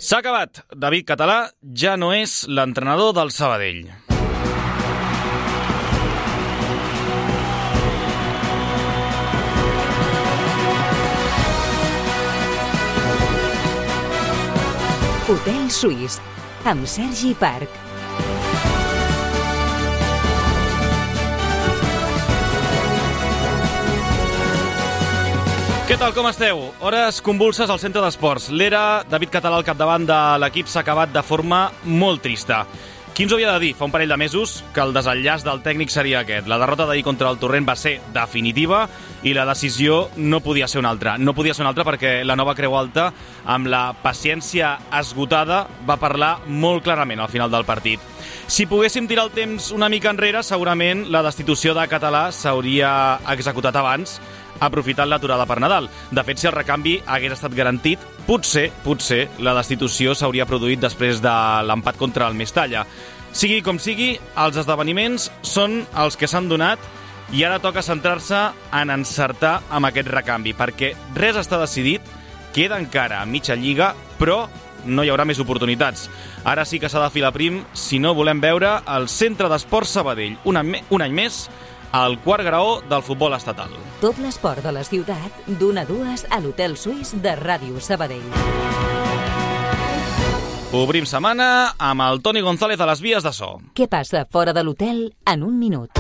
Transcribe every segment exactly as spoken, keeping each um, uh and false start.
S'ha acabat. David Català ja no és l'entrenador del Sabadell. Hotel Suís, amb Sergi Parc. Què tal, com esteu? Hores convulses al centre d'esports. L'era David Català al capdavant de l'equip s'ha acabat de forma molt trista. Qui ens ho havia de dir fa un parell de mesos que el desenllaç del tècnic seria aquest? La derrota d'ahir contra el Torrent va ser definitiva i la decisió no podia ser una altra. No podia ser una altra perquè la nova Creu Alta, amb la paciència esgotada, va parlar molt clarament al final del partit. Si poguéssim tirar el temps una mica enrere, segurament la destitució de Català s'hauria executat abans, aprofitant l'aturada per Nadal. De fet, si el recanvi hagués estat garantit, potser, potser, la destitució s'hauria produït després de l'empat contra el Mestalla. Sigui com sigui, els esdeveniments són els que s'han donat i ara toca centrar-se en encertar amb aquest recanvi, perquè res està decidit, queda encara a mitja lliga, però no hi haurà més oportunitats. Ara sí que s'ha de filar prim si no volem veure el Centre d'Esports Sabadell un any, un any més al quart graó del futbol estatal. Tot l'esport de la ciutat, d'una a dues a l'Hotel Suís de Ràdio Sabadell. Obrim setmana amb el Toni González a les vies de so. Què passa fora de l'hotel en un minut?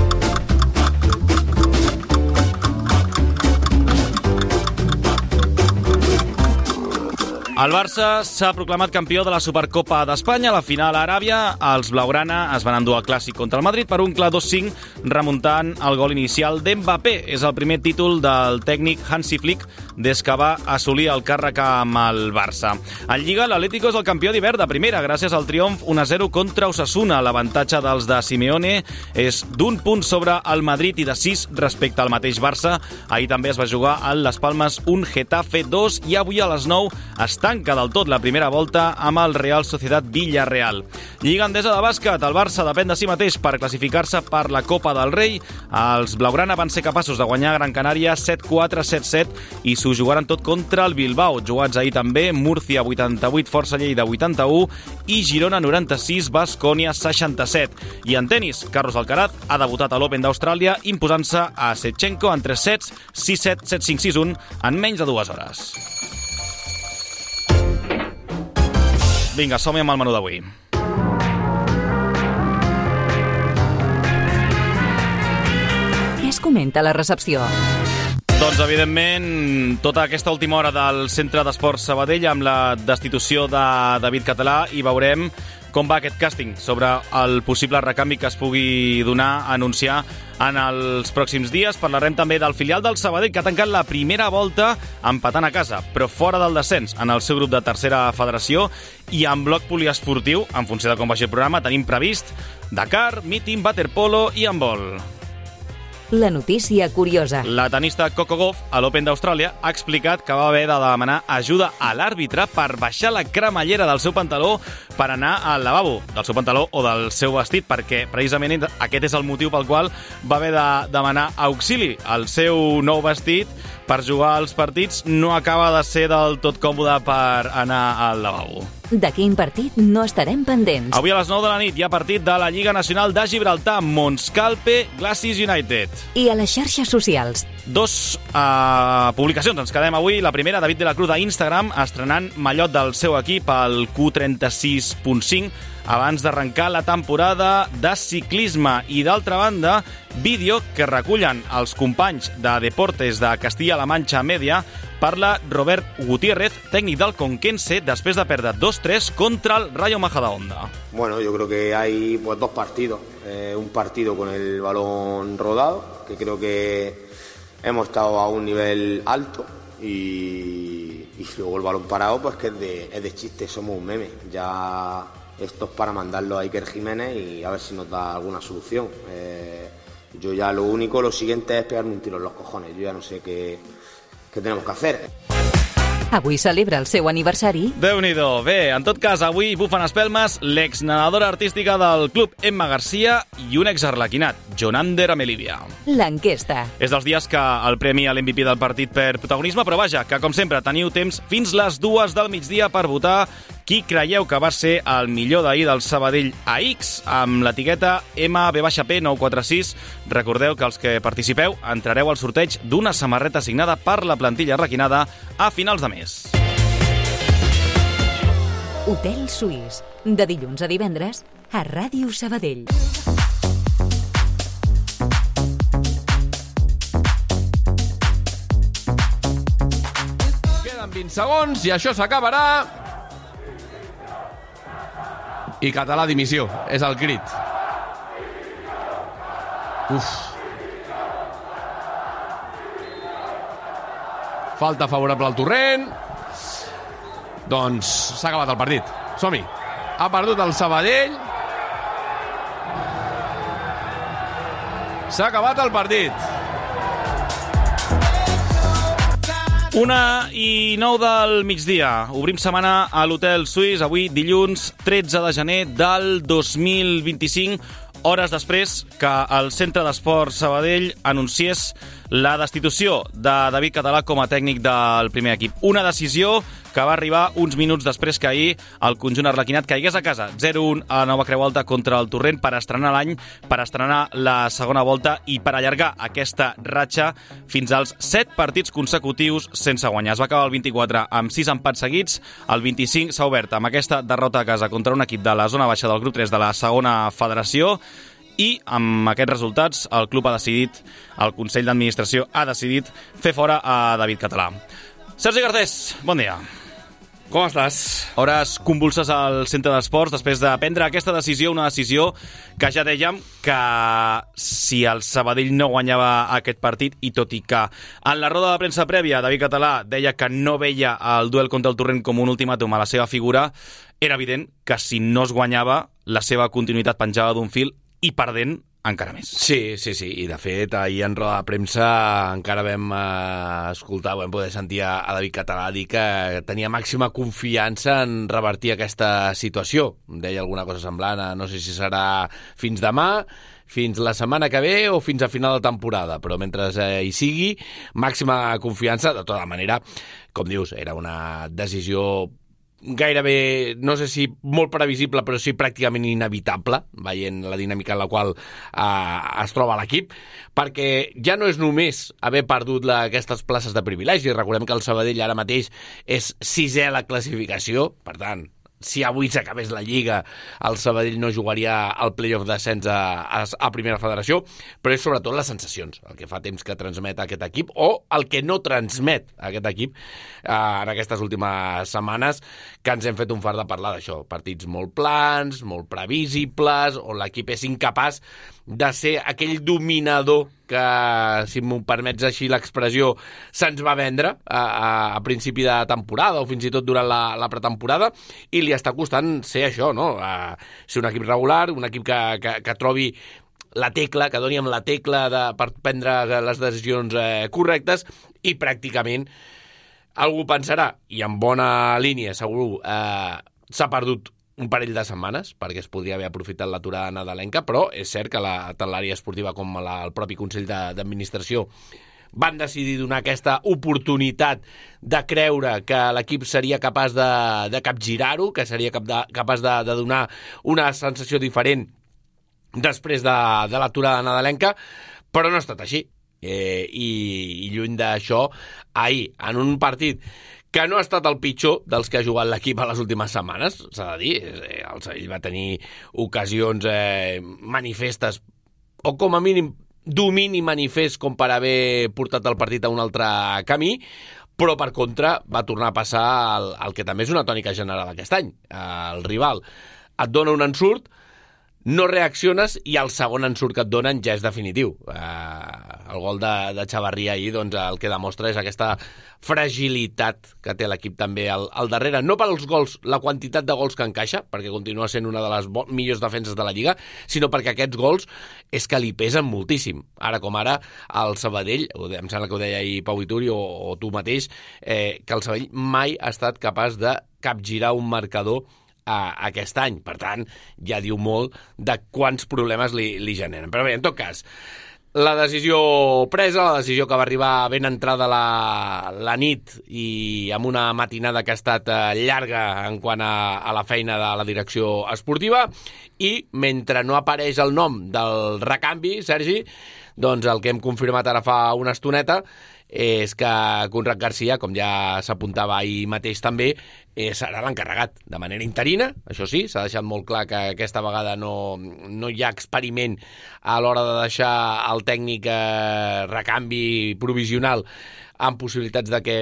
El Barça s'ha proclamat campió de la Supercopa d'Espanya. A la final a Aràbia, els blaugrana es van endur el clàssic contra el Madrid per un clar dos cinc, remuntant el gol inicial d'Mbappé. És el primer títol del tècnic Hansi Flick des que va assolir el càrrec amb el Barça. En Lliga, l'Atlético és el campió d'hivern de primera, gràcies al triomf un a zero contra Osasuna. L'avantatge dels de Simeone és d'un punt sobre el Madrid i de sis respecte al mateix Barça. Ahir també es va jugar al Las Palmas un Getafe dos i avui a les nou està tanca del tot la primera volta amb el Real Sociedad Villarreal. Lliga Endesa de bàsquet, el Barça depèn de si mateix per classificar-se per la Copa del Rei. Els blaugrana van ser capaços de guanyar Gran Canària set quatre set set i s'ho jugaran tot contra el Bilbao. Jugats ahir també, Múrcia vuitanta-vuit, Força Lleida vuitanta-u i Girona noranta-sis, Baskonia seixanta-set. I en tenis, Carlos Alcaraz ha debutat a l'Open d'Austràlia imposant-se a Shevchenko en tres sets, sis set, set cinc, sis un en menys de dues hores. Vinga, som-hi amb el menú d'avui. Què es comenta a la recepció? Doncs, evidentment, tota aquesta última hora del Centre d'Esports Sabadell amb la destitució de David Català i veurem com va aquest càsting sobre el possible recanvi que es pugui donar a anunciar en els pròxims dies. Parlarem també del filial del Sabadell, que ha tancat la primera volta empatant a casa, però fora del descens en el seu grup de tercera federació, i en bloc poliesportiu, en funció de com vagi el programa, tenim previst Dakar, míting, waterpolo i handbol. La notícia curiosa. La tenista Coco Gauff, a l'Open d'Austràlia, ha explicat que va haver de demanar ajuda a l'àrbitre per baixar la cremallera del seu pantaló per anar al lavabo, del seu pantaló o del seu vestit, perquè precisament aquest és el motiu pel qual va haver de demanar auxili. El seu nou vestit per jugar als partits no acaba de ser del tot còmode per anar al lavabo. De quin partit no estarem pendents? Avui a les nou de la nit hi ha partit de la Lliga Nacional de Gibraltar, Monscalpe, Glacis United. I a les xarxes socials? Dos uh, publicacions ens quedem avui. La primera, David de la Cruz a Instagram, estrenant mallot del seu equip, el Q trenta-sis punt cinc, abans d'arrencar la temporada de ciclisme. I d'altra banda, vídeo que recullen els companys de Deportes de Castilla-La Mancha Media. Parla Robert Gutiérrez, tècnic del Conquense, después de perder dos tres contra el Rayo Majadahonda. Bueno, yo creo que hay pues dos partidos. Eh, un partido con el balón rodado, que creo que hemos estado a un nivel alto, y, y luego el balón parado, pues que es de, es de chiste, somos un meme. Ya esto es para mandarlo a Iker Jiménez y a ver si nos da alguna solución. Eh, yo ya lo único, lo siguiente es pegarme un tiro en los cojones. Yo ya no sé qué... Què tenim que fer? Avui celebra el seu aniversari. Déu-n'hi-do. Bé, en tot cas, avui bufen espelmes l'ex-nedadora artística del club Emma Garcia i un ex-arlequinat, Jonander Amelivia. L'enquesta. És dels dies que el premi a l'M V P del partit per protagonisme, però vaja, que com sempre teniu temps fins les dues del migdia per votar qui creieu que va ser el millor d'ahir del Sabadell a X amb l'etiqueta M B P nou quatre sis. Recordeu que els que participeu entrareu al sorteig d'una samarreta signada per la plantilla requinada a finals de mes. Hotel Suís, de dilluns a divendres a Ràdio Sabadell. Queden vint segons i això s'acabarà. I Català dimissió, és el crit. Uf. Falta favorable al Torrent. Doncs s'ha acabat el partit. Som-hi. Ha perdut el Sabadell. S'ha acabat el partit. Una i nou del migdia. Obrim setmana a l'Hotel Suís, avui dilluns tretze de gener del dos mil vint-i-cinc, hores després que el Centre d'Esports Sabadell anunciés la destitució de David Català com a tècnic del primer equip. Una decisió que va arribar uns minuts després que ahir el conjunt arlequinat caigués a casa zero un a la Nova Creu Alta contra el Torrent per estrenar l'any, per estrenar la segona volta i per allargar aquesta ratxa fins als set partits consecutius sense guanyar. Es va acabar el vint-i-quatre amb sis empats seguits, el vint-i-cinc s'ha obert amb aquesta derrota a casa contra un equip de la zona baixa del grup tres de la segona federació. I amb aquests resultats el club ha decidit, el Consell d'Administració ha decidit fer fora a David Català. Sergi Garcés, bon dia. Com estàs? Hores convulses al Centre d'Esports després de prendre aquesta decisió, una decisió que ja dèiem que si el Sabadell no guanyava aquest partit, i tot i que en la roda de premsa prèvia David Català deia que no veia el duel contra el Torrent com un ultimàtum a la seva figura, era evident que si no es guanyava la seva continuïtat penjava d'un fil i perdent encara més. Sí, sí, sí, i de fet ahir en roda de premsa encara vam eh, escoltar, vam poder sentir a, a David Català dir que tenia màxima confiança en revertir aquesta situació. Deia alguna cosa semblant, a, no sé si serà fins demà, fins la setmana que ve o fins a final de temporada, però mentre eh, hi sigui, màxima confiança. De tota manera, com dius, era una decisió gairebé, no sé si molt previsible, però sí pràcticament inevitable, veient la dinàmica en la qual eh, es troba l'equip, perquè ja no és només haver perdut la, aquestes places de privilegi. Recordem que el Sabadell ara mateix és sisè a la classificació, per tant, si avui s'acabés la Lliga, el Sabadell no jugaria al play-off d'ascens a, a, a Primera Federació, però és sobretot les sensacions, el que fa temps que transmet aquest equip, o el que no transmet aquest equip eh, en aquestes últimes setmanes, que ens hem fet un fart de parlar d'això. Partits molt plans, molt previsibles, on l'equip és incapaç de ser aquell dominador que, si m'ho permets així l'expressió, se'ns va vendre a, a, a principi de temporada o fins i tot durant la, la pretemporada, i li està costant ser això, no? A ser un equip regular, un equip que, que, que trobi la tecla, que doni amb la tecla de, per prendre les decisions eh, correctes, i pràcticament algú pensarà, i en bona línia segur, eh, s'ha perdut un parell de setmanes, perquè es podria haver aprofitat l'aturada nadalenca, però és cert que la, tant l'àrea esportiva com la, el propi Consell d'Administració van decidir donar aquesta oportunitat de creure que l'equip seria capaç de, de capgirar-ho, que seria cap de, capaç de, de donar una sensació diferent després de, de l'aturada nadalenca, però no ha estat així. Eh, i, i lluny d'això, ahir, en un partit que no ha estat el pitjor dels que ha jugat l'equip a les últimes setmanes, s'ha de dir. Eh, el Sabadell va tenir ocasions eh, manifestes, o com a mínim domini manifest, com per haver portat el partit a un altre camí, però per contra va tornar a passar el, el que també és una tònica general aquest any. El rival et dona un ensurt, no reacciones, i el segon ensurt que et donen ja és definitiu. Eh, el gol de, de Chavarria ahir, doncs, el que demostra és aquesta fragilitat que té l'equip també al, al darrere. No pels gols, la quantitat de gols que encaixa, perquè continua sent una de les millors defenses de la Lliga, sinó perquè aquests gols és que li pesen moltíssim. Ara com ara, el Sabadell, em sembla que ho deia ahir Pau Ituri o, o tu mateix, eh, que el Sabadell mai ha estat capaç de capgirar un marcador a aquest any. Per tant, ja diu molt de quants problemes li, li generen. Però bé, en tot cas, La decisió presa, la decisió que va arribar ben entrada la, la nit i amb una matinada que ha estat llarga en quant a, a la feina de la direcció esportiva, i mentre no apareix el nom del recanvi, Sergi, doncs el que hem confirmat ara fa una estoneta és que Conrad Garcia, com ja s'apuntava ahir mateix també, eh, serà l'encarregat de manera interina. Això sí, s'ha deixat molt clar que aquesta vegada no, no hi ha experiment a l'hora de deixar el tècnic eh, recanvi provisional amb possibilitats de que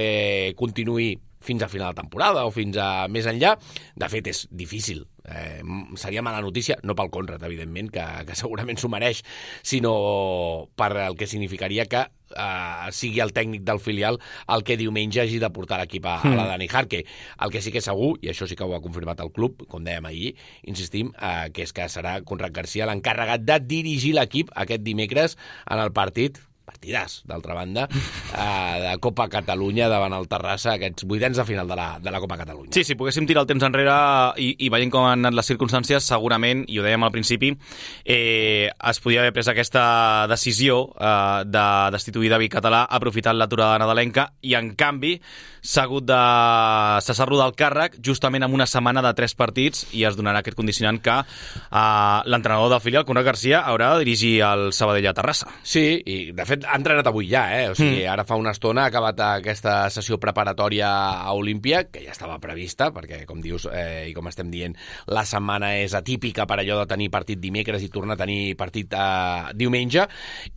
continuï fins a final de temporada o fins a més enllà. De fet, és difícil. Eh, seria mala notícia, no pel Conrad, evidentment, que, que segurament s'ho mereix, sinó per el que significaria que eh, sigui el tècnic del filial el que diumenge hagi de portar l'equip a, a la Dani Jarque. El que sí que és segur, i això sí que ho ha confirmat el club, com dèiem ahir, insistim, eh, que és que serà Conrad Garcia l'encarregat de dirigir l'equip aquest dimecres en el partit partidàs, d'altra banda, eh, de Copa Catalunya davant el Terrassa, aquests vuitens de final de la, de la Copa Catalunya. Sí, si poguéssim tirar el temps enrere i, i veient com han anat les circumstàncies, segurament, i ho dèiem al principi, eh, es podia haver pres aquesta decisió eh, de destituir David Català aprofitant l'aturada nadalenca, i en canvi s'ha hagut de cessar-lo del càrrec justament amb una setmana de tres partits, i es donarà aquest condicionant que eh, l'entrenador del filial, Conrad Garcia, haurà de dirigir el Sabadell a Terrassa. Sí, i de fet ha entrenat avui ja, eh? O sigui, mm. ara fa una estona ha acabat aquesta sessió preparatòria a Olímpia, que ja estava prevista, perquè, com dius, eh, i com estem dient, la setmana és atípica per allò de tenir partit dimecres i tornar a tenir partit eh, diumenge,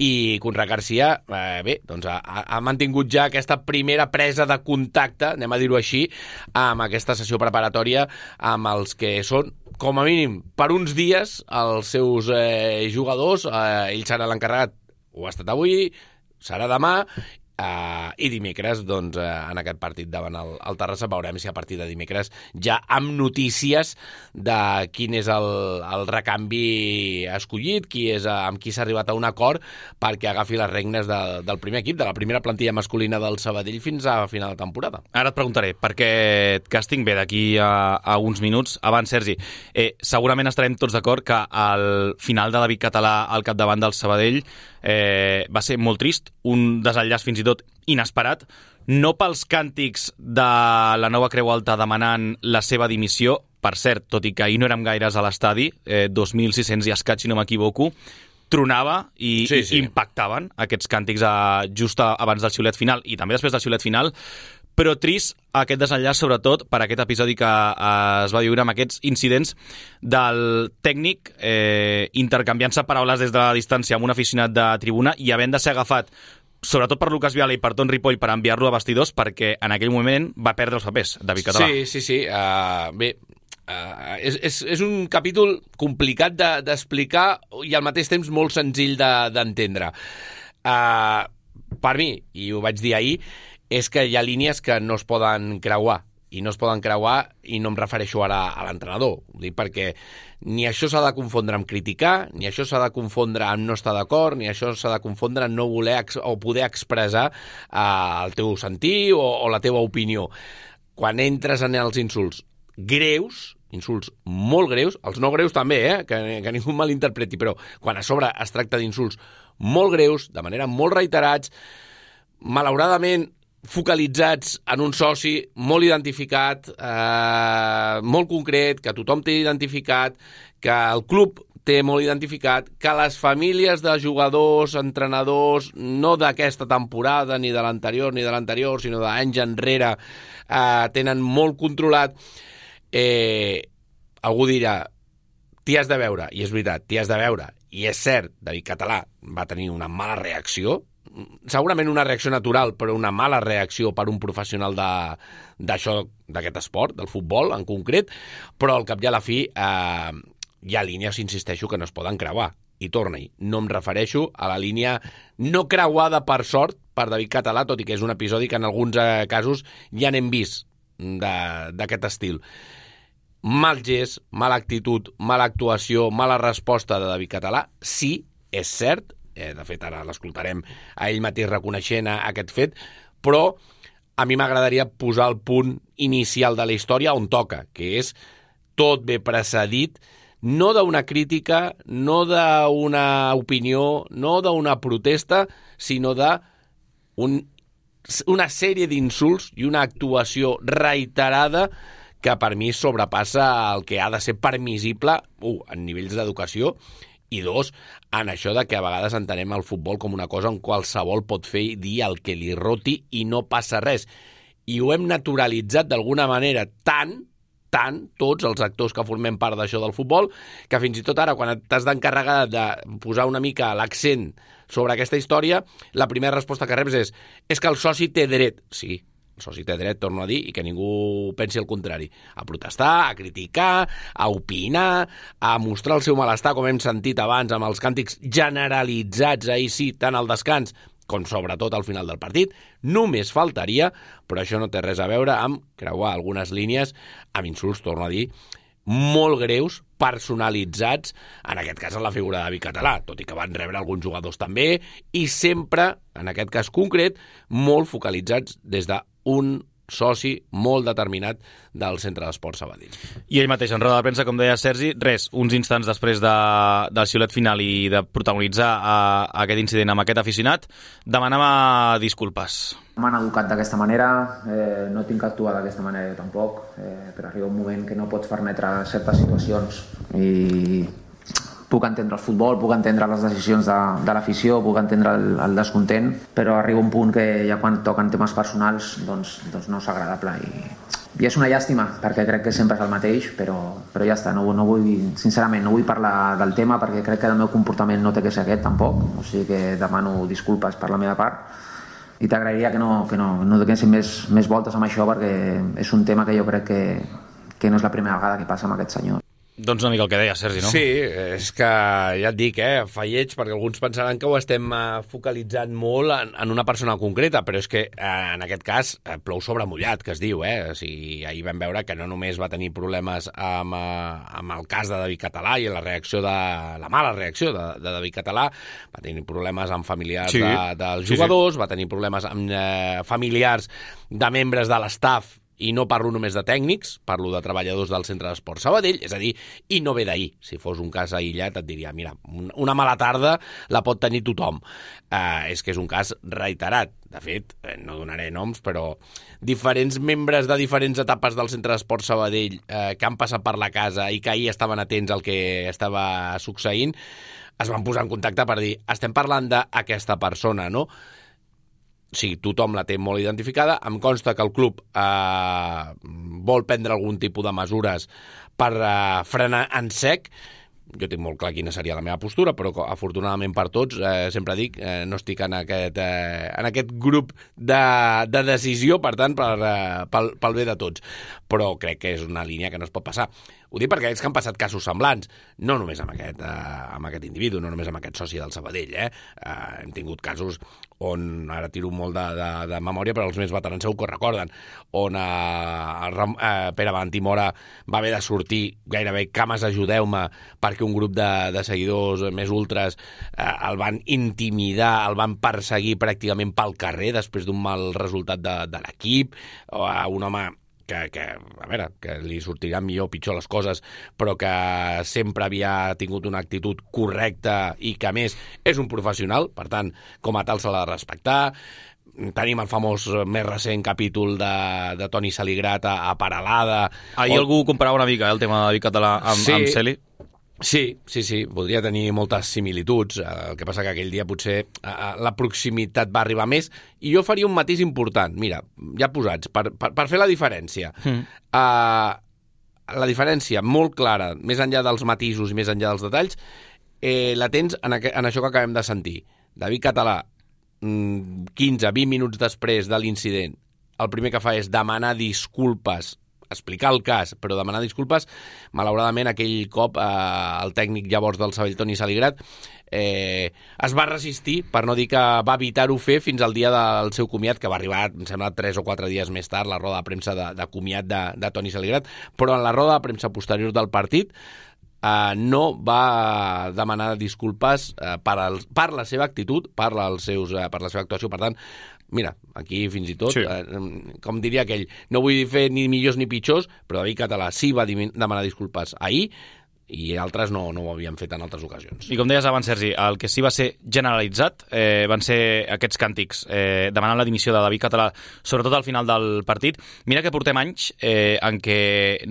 i Conrad Garcia, eh, bé, doncs ha, ha mantingut ja aquesta primera presa de contacte, anem a dir-ho així, amb aquesta sessió preparatòria amb els que són, com a mínim, per uns dies, els seus eh, jugadors. Eh, ell serà l'encarregat, ho ha estat avui, serà demà, Uh, i dimecres, doncs, uh, en aquest partit davant el, el Terrassa, veurem si a partir de dimecres ja amb notícies de quin és el, el recanvi escollit, qui és, uh, amb qui s'ha arribat a un acord perquè agafi les regnes de, del primer equip, de la primera plantilla masculina del Sabadell fins a final de temporada. Ara et preguntaré, perquè et càsting ve d'aquí a, a uns minuts. Abans, Sergi, eh, segurament estarem tots d'acord que el final de David Català al capdavant del Sabadell eh, va ser molt trist, un desenllaç fins i tot inesperat, no pels càntics de la Nova Creu Alta demanant la seva dimissió, per cert, tot i que ahir no érem gaires a l'estadi, eh, dos mil sis-cents i escaig, si no m'equivoco, tronava i, sí, sí. i impactaven aquests càntics a, just a, abans del xiulet final i també després del xiulet final, però trist aquest desenllaç, sobretot per aquest episodi que eh, es va viure amb aquests incidents del tècnic eh, intercanviant-se paraules des de la distància amb un aficionat de tribuna i havent de ser agafat sobretot per Lucas Viala i per Ton Ripoll per enviar-lo a vestidors, perquè en aquell moment va perdre els papers, David Català. Sí, sí, sí. Uh, bé, uh, és, és, és un capítol complicat de, d'explicar i al mateix temps molt senzill de, d'entendre. Uh, per mi, i ho vaig dir ahir, és que hi ha línies que no es poden creuar, i no es poden creuar, i no em refereixo ara a l'entrenador. Ho dic perquè ni això s'ha de confondre amb criticar, ni això s'ha de confondre amb no estar d'acord, ni això s'ha de confondre amb no voler ex- o poder expressar eh, el teu sentir o, o la teva opinió. Quan entres en els insults greus, insults molt greus, els no greus també, eh? que, que ningú malinterpreti, però quan a sobre es tracta d'insults molt greus, de manera molt reiterats, malauradament focalitzats en un soci molt identificat, eh, molt concret, que tothom té identificat, que el club té molt identificat, que les famílies de jugadors, entrenadors, no d'aquesta temporada, ni de l'anterior, ni de l'anterior, sinó d'anys enrere, eh, tenen molt controlat. Eh, algú dirà, t'hi has de veure, i és veritat, t'hi has de veure, i és cert, David Català va tenir una mala reacció, segurament una reacció natural, però una mala reacció per un professional de, d'això, d'aquest esport, del futbol en concret, però al cap i a la fi eh, hi ha línies, insisteixo, que no es poden creuar. I torna-hi, no em refereixo a la línia no creuada per sort per David Català, tot i que és un episodi que en alguns eh, casos ja n'hem vist de, d'aquest estil. Mal gest, mala actitud, mala actuació, mala resposta de David Català, sí, és cert. Eh, de fet, ara l'escoltarem a ell mateix reconeixent a, a aquest fet, però a mi m'agradaria posar el punt inicial de la història on toca, que és tot ve precedit no d'una crítica, no d'una opinió, no d'una protesta, sinó de un, una sèrie d'insults i una actuació reiterada que per mi sobrepassa el que ha de ser permissible, u, en nivells d'educació, i dos, en això de que a vegades entenem el futbol com una cosa on qualsevol pot fer i dir el que li roti i no passa res. I ho hem naturalitzat d'alguna manera tant, tant, tots els actors que formem part d'això del futbol, que fins i tot ara, quan t'has d'encarregar de posar una mica l'accent sobre aquesta història, la primera resposta que reps és és que el soci té dret. Sí, el soci té dret, torno a dir, i que ningú pensi el contrari. A protestar, a criticar, a opinar, a mostrar el seu malestar, com hem sentit abans amb els càntics generalitzats, ahir sí, tant al descans com sobretot al final del partit, només faltaria, però això no té res a veure amb creuar algunes línies amb insults, torno a dir, molt greus, personalitzats, en aquest cas en la figura de David Català, tot i que van rebre alguns jugadors també, i sempre, en aquest cas concret, molt focalitzats des d'un soci molt determinat del Centre d'Esport Sabadell. I ell mateix, en roda de premsa, com deia Sergi, res, uns instants després de, del xiulet final i de protagonitzar a, a aquest incident amb aquest aficionat, demanava disculpes. M'han educat d'aquesta manera, eh, no tinc que actuar d'aquesta manera jo tampoc, eh, però arriba un moment que no pots permetre certes situacions i puc entendre el futbol, puc entendre les decisions de, de l'afició, puc entendre el, el descontent, però arriba un punt que ja quan toquen temes personals doncs, doncs no és agradable i, i és una llàstima perquè crec que sempre és el mateix, però, però ja està, no, no vull, sincerament no vull parlar del tema perquè crec que el meu comportament no té que ser aquest tampoc, o sigui que demano disculpes per la meva part i t'agrairia que no, que no, no donessin més, més voltes amb això perquè és un tema que jo crec que, que no és la primera vegada que passa amb aquest senyor. Doncs una mica el que deia Sergi, no? Sí, és que ja et dic, eh, fa lleig, perquè alguns pensaran que ho estem eh, focalitzant molt en, en una persona concreta, però és que eh, en aquest cas eh, plou sobre mullat, que es diu, eh? O sigui, ahir vam veure que no només va tenir problemes amb, eh, amb el cas de David Català i la reacció de la mala reacció de, de David Català, va tenir problemes amb familiars sí. de, dels jugadors, sí, sí. Va tenir problemes amb eh, familiars de membres de l'estaf, i no parlo només de tècnics, parlo de treballadors del Centre d'Esport Sabadell, és a dir, i no ve d'ahir. Si fos un cas aïllat et diria, mira, una mala tarda la pot tenir tothom. Eh, és que és un cas reiterat. De fet, no donaré noms, però diferents membres de diferents etapes del Centre d'Esport Sabadell eh, que han passat per la casa i que ahir estaven atents al que estava succeint, es van posar en contacte per dir, estem parlant d'aquesta persona, no? O sigui, tothom la té molt identificada. Em consta que el club eh, vol prendre algun tipus de mesures per eh, frenar en sec. Jo tinc molt clar quina seria la meva postura, però afortunadament per tots, eh, sempre dic, eh, no estic en aquest, eh, en aquest grup de, de decisió, per tant, per, eh, pel, pel bé de tots. Però crec que és una línia que no es pot passar. Ho dic perquè ells que han passat casos semblants, no només amb aquest, eh, amb aquest individu, no només amb aquest soci del Sabadell. Eh? Eh, hem tingut casos on, ara tiro molt de, de, de memòria, però els més veterans segur que ho recorden, on eh, eh, Pere Valentí Mora va haver de sortir gairebé cames ajudeu-me perquè un grup de, de seguidors més ultres eh, el van intimidar, el van perseguir pràcticament pel carrer després d'un mal resultat de, de l'equip, o a un home Que, que, a veure, que li sortiran millor o pitjor les coses, però que sempre havia tingut una actitud correcta i que, a més, és un professional, per tant, com a tal se l'ha de respectar. Tenim el famós més recent capítol de, de Toni Saligrat a, a Paralada. Ahir o... algú comparava una mica eh, el tema de David Català amb, sí. amb Celi. Sí, sí, sí, podria tenir moltes similituds, el que passa que aquell dia potser la proximitat va arribar més, i jo faria un matís important, mira, ja posats, per, per, per fer la diferència. Mm. Uh, la diferència molt clara, més enllà dels matisos i més enllà dels detalls, eh, la tens en, aqu en això que acabem de sentir. David Català, quinze a vint minuts després de l'incident, el primer que fa és demanar disculpes, explicar el cas, però demanar disculpes. Malauradament, aquell cop eh, el tècnic llavors del Sabadell, Toni Saligrat, eh, es va resistir, per no dir que va evitar-ho fer fins al dia del seu comiat, que va arribar, em sembla, tres o quatre dies més tard, la roda de premsa de, de comiat de, de Toni Saligrat, però en la roda de premsa posterior del partit Uh, no va demanar disculpes uh, per, el, per la seva actitud, per, els seus, uh, per la seva actuació. Per tant, mira, aquí fins i tot, sí. uh, com diria aquell, no vull fer ni millors ni pitjors, però David Català sí va demanar disculpes ahir, i altres no, no ho havien fet en altres ocasions. I com deies abans, Sergi, el que sí va ser generalitzat eh, van ser aquests càntics eh, demanant la dimissió de David Català, sobretot al final del partit. Mira que portem anys eh, en què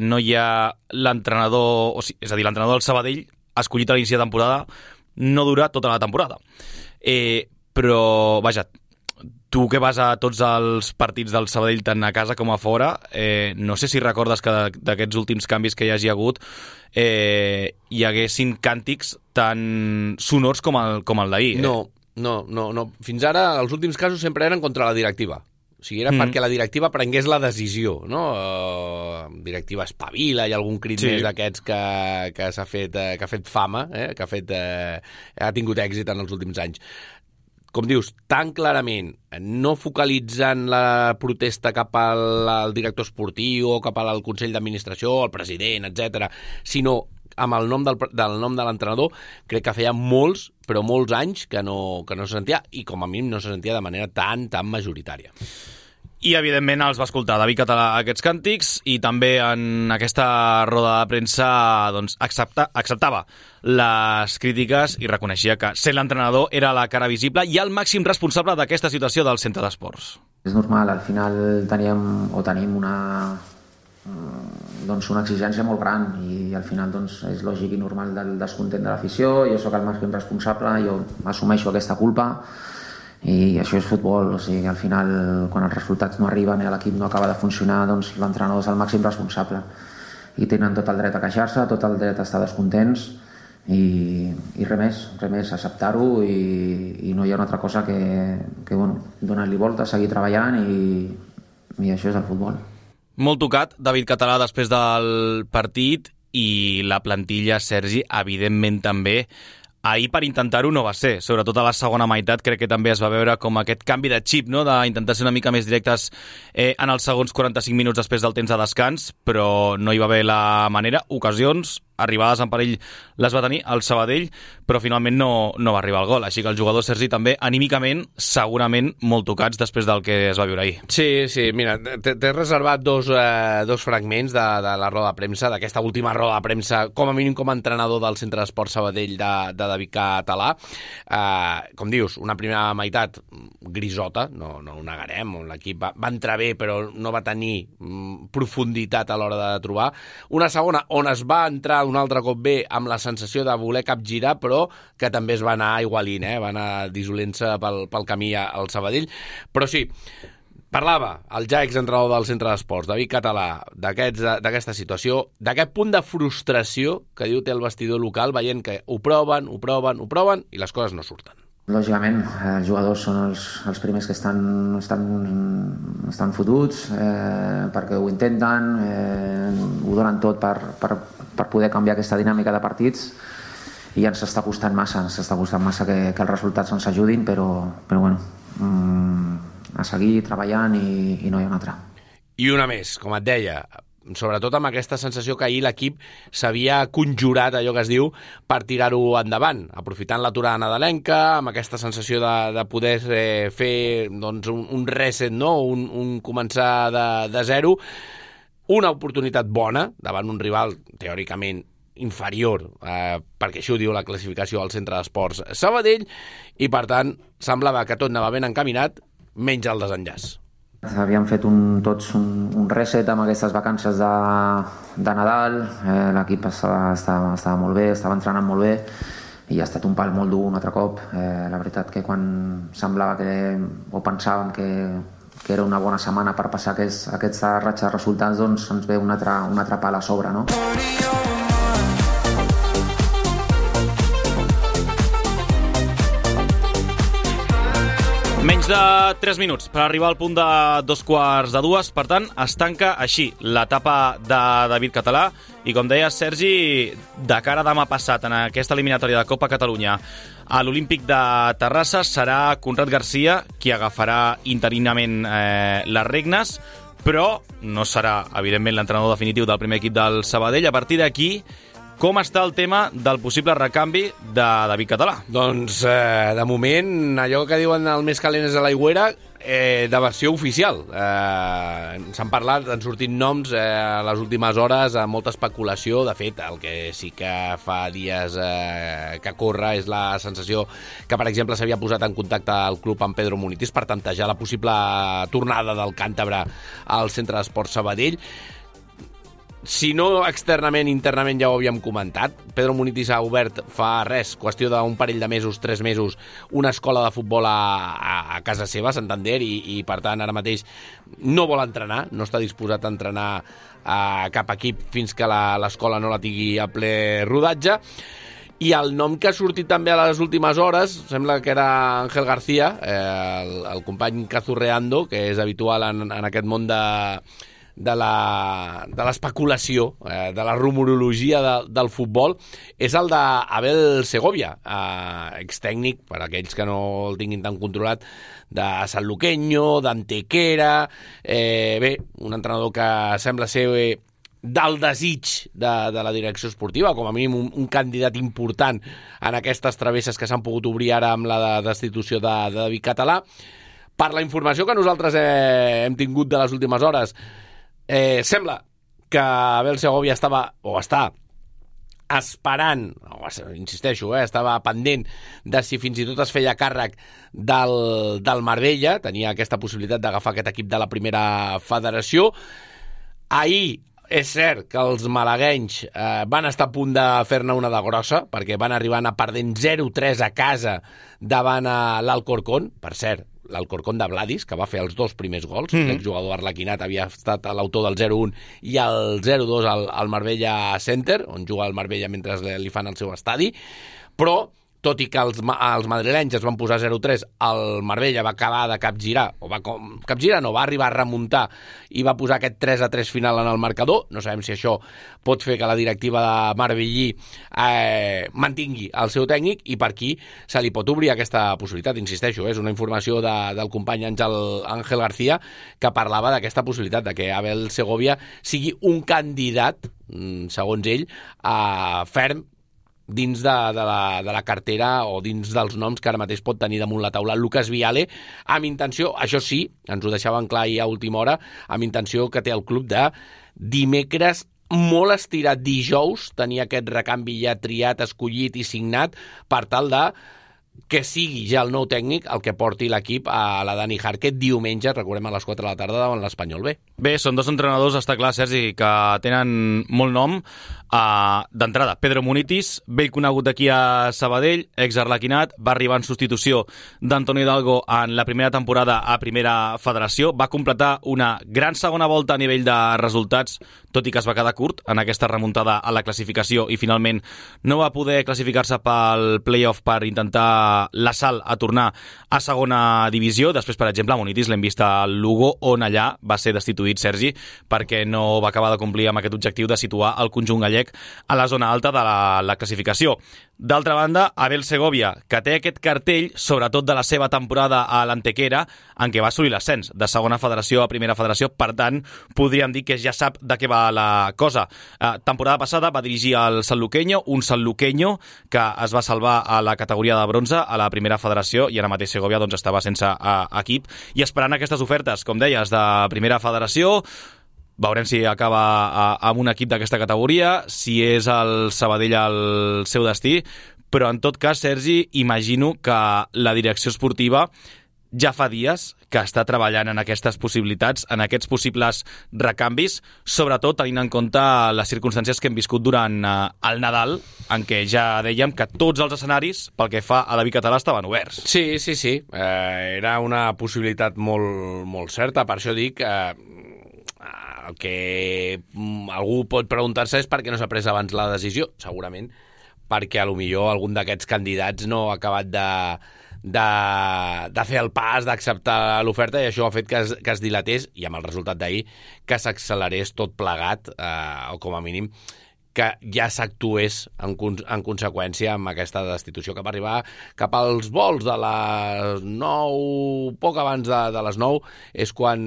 no hi ha l'entrenador, o sigui, és a dir, l'entrenador del Sabadell escollit a l'inici de temporada no dura tota la temporada. Eh, però, vaja, tu que vas a tots els partits del Sabadell tant a casa com a fora, eh, no sé si recordes que d'aquests últims canvis que hi hagi hagut eh, hi haguessin càntics tan sonors com el, com el d'ahir. Eh? No, no, no, no. Fins ara els últims casos sempre eren contra la directiva. O sigui, era mm. perquè la directiva prengués la decisió, no? Uh, directiva espavila, hi ha algun crit sí. més d'aquests que, que s'ha fet, uh, que ha fet fama, eh? que ha, fet, uh, ha tingut èxit en els últims anys. Com dius, tan clarament, no focalitzant la protesta cap al, al director esportiu o cap al Consell d'Administració, al president, etcètera, sinó amb el nom del, del nom de l'entrenador, crec que feia molts, però molts anys que no, que no se sentia, i com a mínim no se sentia de manera tan, tan majoritària. I, evidentment, els va escoltar David Català aquests càntics i també en aquesta roda de premsa doncs, accepta, acceptava les crítiques i reconeixia que ser l'entrenador era la cara visible i el màxim responsable d'aquesta situació del centre d'esports. És normal, al final teníem o tenim una, doncs una exigència molt gran i al final doncs, és lògic i normal del descontent de l'afició. Jo sóc el màxim responsable, jo assumeixo aquesta culpa i això és futbol, o sigui, al final quan els resultats no arriben i l'equip no acaba de funcionar, doncs l'entrenador és el màxim responsable i tenen tot el dret a queixar-se, tot el dret a estar descontents i, i res més, res més, acceptar-ho i, i no hi ha una altra cosa que, que bueno, donar-li volta, seguir treballant i, i això és el futbol. Molt tocat, David Català, després del partit i la plantilla, Sergi, evidentment també. Ahir per intentar-ho no va ser, sobretot a la segona meitat crec que també es va veure com aquest canvi de xip, no? D'intentar ser una mica més directes eh, en els segons quaranta-cinc minuts després del temps de descans, però no hi va haver la manera, ocasions, arribades en perill les va tenir el Sabadell, però finalment no, no va arribar el gol, així que el jugador Sergi també anímicament segurament molt tocats després del que es va viure ahir. Sí, sí, mira, t'he reservat dos, eh, dos fragments de, de la roda de premsa, d'aquesta última roda de premsa, com a mínim com a entrenador del Centre d'Esport Sabadell de, de David Català. Eh, com dius, una primera meitat grisota, no, no ho negarem, l'equip va, va entrar bé però no va tenir mm, profunditat a l'hora de trobar. Una segona on es va entrar un altre cop bé amb la sensació de voler capgirar, però que també es va anar aigualint, eh? va anar dissolent-se pel, pel camí al Sabadell. Però sí, parlava el ja exentrenador del Centre d'Esports, David Català, d'aquesta situació, d'aquest punt de frustració que diu té el vestidor local, veient que ho proven, ho proven, ho proven i les coses no surten. Lògicament, els jugadors són els, els primers que estan, estan, estan fotuts eh, perquè ho intenten, eh, ho donen tot per, per, per poder canviar aquesta dinàmica de partits i ens està costant massa, ens està costant massa que, que els resultats ens ajudin, però, però bueno, mm, a seguir treballant i, i no hi ha una altra. I una més, com et deia, sobretot amb aquesta sensació que ahir l'equip s'havia conjurat, allò que es diu, per tirar-ho endavant, aprofitant l'aturada nadalenca, amb aquesta sensació de, de poder eh, fer doncs, un, un reset, no? un, un començar de, de zero, una oportunitat bona davant un rival teòricament inferior, eh, perquè això ho diu la classificació al Centre d'Esports Sabadell, i per tant semblava que tot anava ben encaminat, menys el desenllaç. Havíem fet un, tots un, un reset amb aquestes vacances de, de Nadal, eh, l'equip estava, estava, estava molt bé, estava entrenant molt bé i ha estat un pal molt dur un altre cop. Eh, la veritat que quan semblava que, o pensàvem que, que era una bona setmana per passar aquests, aquesta ratxa de resultats, doncs ens ve un altre, un altre pal a sobre, no? Menys de tres minuts per arribar al punt de dos quarts de dues, per tant, es tanca així l'etapa de David Català i, com deia Sergi, de cara a demà passat en aquesta eliminatòria de Copa Catalunya a l'Olímpic de Terrassa serà Conrad Garcia qui agafarà interinament eh, les regnes, però no serà, evidentment, l'entrenador definitiu del primer equip del Sabadell. A partir d'aquí, com està el tema del possible recanvi de David Català? Doncs, eh, de moment, allò que diuen el més calent és a l'aigüera, eh, de versió oficial. Eh, S'han parlat, han sortit noms eh, a les últimes hores, amb molta especulació. De fet, el que sí que fa dies eh, que corre és la sensació que, per exemple, s'havia posat en contacte el club amb Pedro Munitis per tantejar la possible tornada del càntabre al Centre d'Esports Sabadell. Si no externament, internament ja ho havíem comentat. Pedro Munitis ha obert fa res, qüestió d'un parell de mesos, tres mesos, una escola de futbol a, a, a casa seva, a Santander, i, i per tant ara mateix no vol entrenar, no està disposat a entrenar a cap equip fins que l'escola no la tingui a ple rodatge. I el nom que ha sortit també a les últimes hores, sembla que era Ángel García, eh, el, el company Cazurreando, que és habitual en, en aquest món de... de l'especulació, eh, de la rumorologia de, del futbol, és el d'Abel Segovia, eh, extècnic, per aquells que no el tinguin tan controlat, de Sanluqueño, d'Antequera, eh, bé, un entrenador que sembla ser eh, del desig de, de la direcció esportiva, com a mínim un, un candidat important en aquestes travesses que s'han pogut obrir ara amb la destitució de, de David Català. Per la informació que nosaltres eh, hem tingut de les últimes hores, Eh, sembla que Abel Segovia estava, o està, esperant, o, insisteixo, eh, estava pendent de si fins i tot es feia càrrec del, del Marbella, tenia aquesta possibilitat d'agafar aquest equip de la primera federació. Ahir és cert que els malaguenys eh, van estar a punt de fer-ne una de grossa, perquè van arribar a perdent zero tres a casa davant l'Alcorcón, per cert, l'Alcorcón de Vladis, que va fer els dos primers gols. Mm-hmm. L'exjugador arlequinat havia estat l'autor del zero un i el zero dos al, al Marbella Center, on juga el Marbella mentre li fan el seu estadi. Però, tot i que els, els madrilenys es van posar zero tres, el Marbella va acabar de capgirar, o va capgirar no, va arribar a remuntar i va posar aquest tres a tres final en el marcador. No sabem si això pot fer que la directiva de Marbellí eh, mantingui el seu tècnic, i per aquí se li pot obrir aquesta possibilitat. Insisteixo, és una informació de, del company Àngel, Ángel García, que parlava d'aquesta possibilitat de que Abel Segovia sigui un candidat, segons ell, a ferm dins de, de, la, de la cartera o dins dels noms que ara mateix pot tenir damunt la taula Lucas Viale, amb intenció, això sí, ens ho deixaven clar ahir a última hora, amb intenció que té el club de dimecres molt estirat, dijous, tenir aquest recanvi ja triat, escollit i signat per tal de que sigui ja el nou tècnic el que porti l'equip a la Dani Jarque diumenge, recordem, a les quatre de la tarda davant l'Espanyol B. Bé, són dos entrenadors, està clar, Sergi, que tenen molt nom. Uh, D'entrada, Pedro Munitis, vell conegut aquí a Sabadell, ex-arlequinat, va arribar en substitució d'Antonio Hidalgo en la primera temporada a Primera Federació, va completar una gran segona volta a nivell de resultats, tot i que es va quedar curt en aquesta remuntada a la classificació i finalment no va poder classificar-se pel play-off per intentar l'assalt a tornar a segona divisió. Després, per exemple, a Munitis l'hem vist al Lugo, on allà va ser destituït Sergi perquè no va acabar de complir amb aquest objectiu de situar el conjunt gallec a la zona alta de la, la classificació. D'altra banda, Abel Segovia, que té aquest cartell, sobretot de la seva temporada a l'Antequera, en què va assolir l'ascens de segona federació a primera federació, per tant, podríem dir que ja sap de què va la cosa. Eh, temporada passada va dirigir el Sanluqueño, un Sanluqueño que es va salvar a la categoria de bronze a la primera federació, i ara mateix Segovia doncs, estava sense eh, equip, i esperant aquestes ofertes, com deies, de primera federació. Veurem si acaba amb un equip d'aquesta categoria, si és el Sabadell el seu destí, però en tot cas, Sergi, imagino que la direcció esportiva ja fa dies que està treballant en aquestes possibilitats, en aquests possibles recanvis, sobretot tenint en compte les circumstàncies que hem viscut durant el Nadal, en què ja dèiem que tots els escenaris, pel que fa a David Català, estaven oberts. Sí, sí, sí. Eh, era una possibilitat molt, molt certa, per això dic... Eh, el que algú pot preguntar-se és per què no s'ha pres abans la decisió. Segurament perquè a lo millor algun d'aquests candidats no ha acabat de, de, de fer el pas, d'acceptar l'oferta, i això ha fet que es, que es dilatés, i amb el resultat d'ahir que s'accelerés tot plegat, eh, o com a mínim que ja s'actués en, en conseqüència amb aquesta destitució, que va arribar cap als vols de les nou, poc abans de, de les nou, és quan...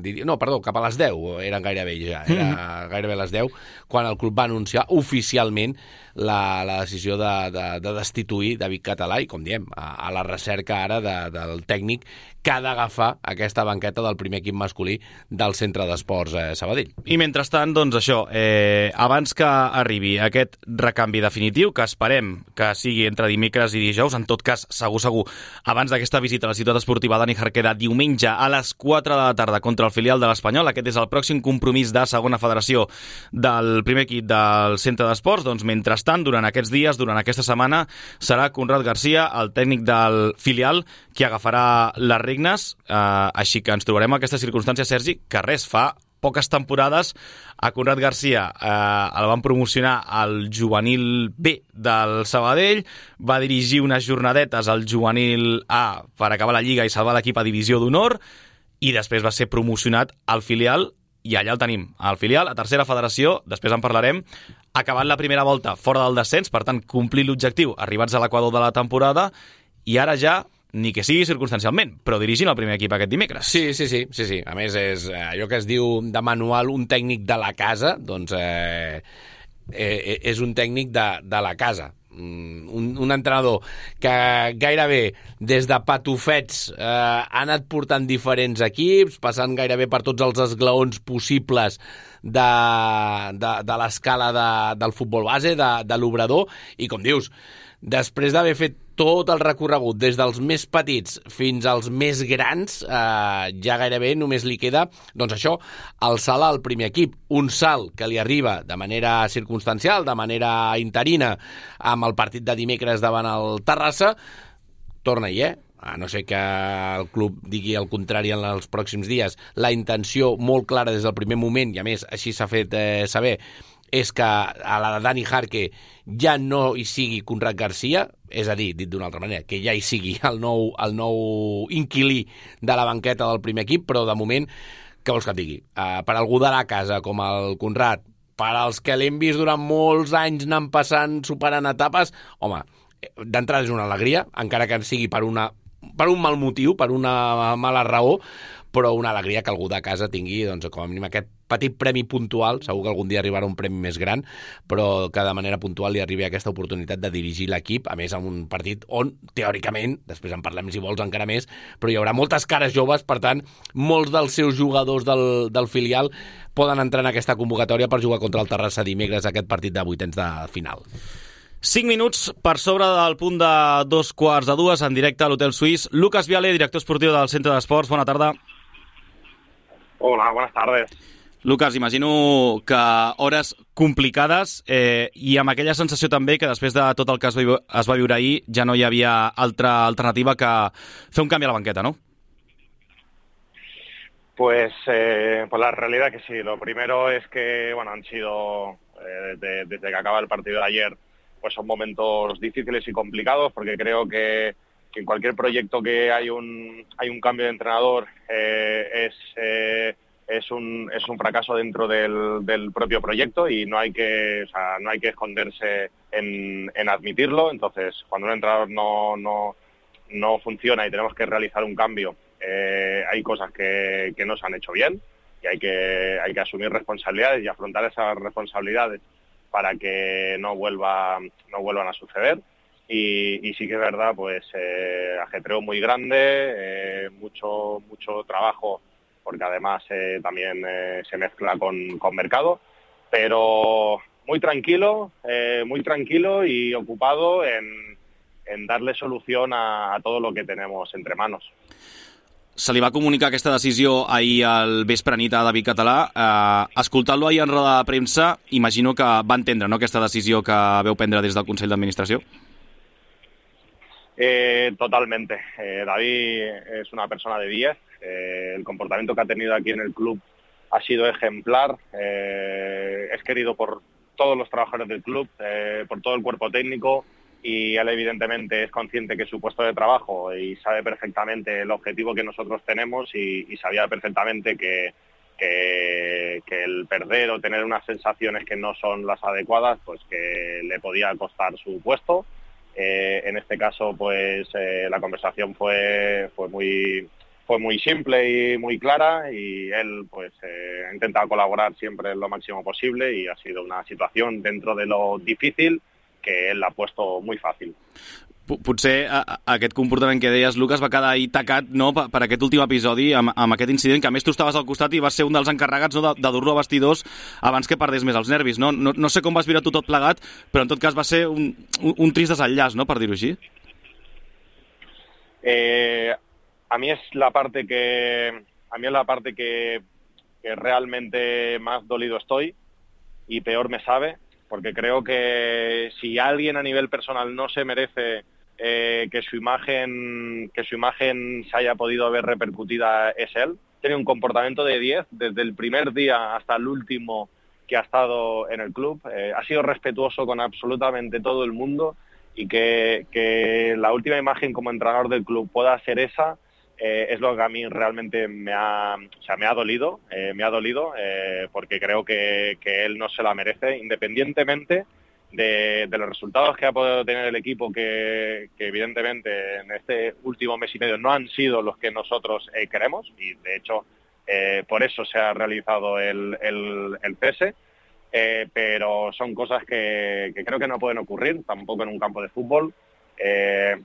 Diria, no, perdó, cap a les deu, eren gairebé ja, era mm. gairebé les deu, quan el club va anunciar oficialment la, la decisió de, de, de destituir David Català, i com diem, a, a la recerca ara de, del tècnic que ha d'agafar aquesta banqueta del primer equip masculí del Centre d'Esports eh, Sabadell. I mentrestant, doncs això, eh, abans que arribi aquest recanvi definitiu, que esperem que sigui entre dimecres i dijous, en tot cas, segur, segur, abans d'aquesta visita a la ciutat esportiva Dani Jarquera diumenge a les quatre de la tarda contra el filial de l'Espanyol, aquest és el pròxim compromís de segona federació del primer equip del Centre d'Esports, doncs mentrestant, durant aquests dies, durant aquesta setmana, serà Conrad Garcia, el tècnic del filial, qui agafarà les regnes, eh, així que ens trobarem en aquesta circumstància, Sergi, que res, fa poques temporades a Conrad Garcia eh, el van promocionar al juvenil B del Sabadell, va dirigir unes jornadetes al juvenil A per acabar la Lliga i salvar l'equip a divisió d'honor, i després va ser promocionat al filial, i allà el tenim, al filial, a tercera federació, després en parlarem, acabant la primera volta fora del descens, per tant, complir l'objectiu, arribats a l'equador de la temporada, i ara ja ni que sigui circumstancialment, però dirigint el primer equip aquest dimecres. Sí, sí, sí, sí, sí. A més, és allò que es diu de manual un tècnic de la casa, doncs eh, eh, és un tècnic de, de la casa. Un, un entrenador que gairebé des de patufets eh, ha anat portant diferents equips, passant gairebé per tots els esglaons possibles de, de, de l'escala de, del futbol base, de, de l'obrador, i com dius, després d'haver fet tot el recorregut des dels més petits fins als més grans, eh, ja gairebé només li queda, doncs això, el salt al primer equip. Un salt que li arriba de manera circumstancial, de manera interina, amb el partit de dimecres davant el Terrassa, torna-hi, eh? A no ser que el club digui el contrari en els pròxims dies. La intenció molt clara des del primer moment, i a més així s'ha fet eh, saber, és que a la de Dani Jarque ja no hi sigui Conrad Garcia, és a dir, dit d'una altra manera, que ja hi sigui el nou, el nou inquilí de la banqueta del primer equip, però de moment, què vols que et digui? Uh, per algú de la casa, com el Conrad, per als que l'hem vist durant molts anys anant passant, superant etapes, home, d'entrada és una alegria, encara que sigui per, una, per un mal motiu, per una mala raó, però una alegria que algú de casa tingui, doncs, com a mínim aquest petit premi puntual, segur que algun dia arribarà un premi més gran, però que de manera puntual li arribi aquesta oportunitat de dirigir l'equip, a més en un partit on, teòricament, després en parlem si vols encara més, però hi haurà moltes cares joves, per tant, molts dels seus jugadors del, del filial poden entrar en aquesta convocatòria per jugar contra el Terrassa dimecres aquest partit de vuitens de final. cinc minuts per sobre del punt de dos quarts de dues, en directe a l'Hotel Suís. Lucas Viale, director esportiu del Centre d'Esports, bona tarda. Hola, buenas tardes. Lucas, imagino que hores complicades eh, i amb aquella sensació també que després de tot el que es va, es va viure ahir ja no hi havia altra alternativa que fer un canvi a la banqueta, ¿no? Pues, eh, pues la realidad es que sí. Lo primero es que bueno, han sido, eh, desde, desde que acaba el partido de ayer, pues son momentos difíciles y complicados, porque creo que, que en cualquier proyecto que hay un, hay un cambio de entrenador eh, es... Eh, Es un, es un fracaso dentro del, del propio proyecto y no hay que, o sea, no hay que esconderse en, en admitirlo. Entonces, cuando un entrenador no, no, no funciona y tenemos que realizar un cambio, eh, hay cosas que, que no se han hecho bien y hay que, hay que asumir responsabilidades y afrontar esas responsabilidades para que no, vuelva, no vuelvan a suceder. Y, y sí que es verdad, pues eh, ajetreo muy grande, eh, mucho, mucho trabajo, porque además eh, también eh, se mezcla con, con mercado, pero muy tranquilo, eh, muy tranquilo y ocupado en, en darle solución a, a todo lo que tenemos entre manos. Se li va comunicar aquesta decisió ahir al vespre nit a David Català. Eh, Escoltant-lo ahir en roda de premsa, imagino que va entendre, no?, aquesta decisió que veu prendre des del Consell d'Administració. Eh, totalmente. Eh, David es una persona de diez. Eh, el comportamiento que ha tenido aquí en el club ha sido ejemplar. Eh, es querido por todos los trabajadores del club, eh, por todo el cuerpo técnico, y él evidentemente es consciente que es su puesto de trabajo y sabe perfectamente el objetivo que nosotros tenemos y, y sabía perfectamente que, que, que el perder o tener unas sensaciones que no son las adecuadas, pues que le podía costar su puesto. Eh, en este caso, pues eh, la conversación fue, fue muy... fue muy simple y muy clara, y él pues eh, ha intentado colaborar siempre lo máximo posible, y ha sido una situación dentro de lo difícil que él ha puesto muy fácil. Potser a, a aquest comportament que deies, Lucas, va quedar ahir tacat, no, per, per aquest últim episodi, amb, amb aquest incident, que a més tu estaves al costat i vas ser un dels encarregats, no, de, de dur-lo a vestidors abans que perdés més els nervis. No? No, no sé com vas viure tu tot plegat, però en tot cas va ser un, un, un trist desenllaç, no?, per dir-ho així. Eh, a mí es la parte que a mí es la parte que, que realmente más dolido estoy y peor me sabe, porque creo que si alguien a nivel personal no se merece eh, que su imagen que su imagen se haya podido ver repercutida, es él. Tiene un comportamiento de diez desde el primer día hasta el último que ha estado en el club. Eh, ha sido respetuoso con absolutamente todo el mundo, y que, que la última imagen como entrenador del club pueda ser esa, eh, es lo que a mí realmente me ha, o sea, me ha dolido, eh, me ha dolido eh, porque creo que, que él no se la merece, independientemente de, de los resultados que ha podido tener el equipo, que, que evidentemente en este último mes y medio no han sido los que nosotros eh, queremos, y de hecho eh, por eso se ha realizado el, el, el cese. Eh, pero son cosas que, que creo que no pueden ocurrir tampoco en un campo de fútbol. Eh,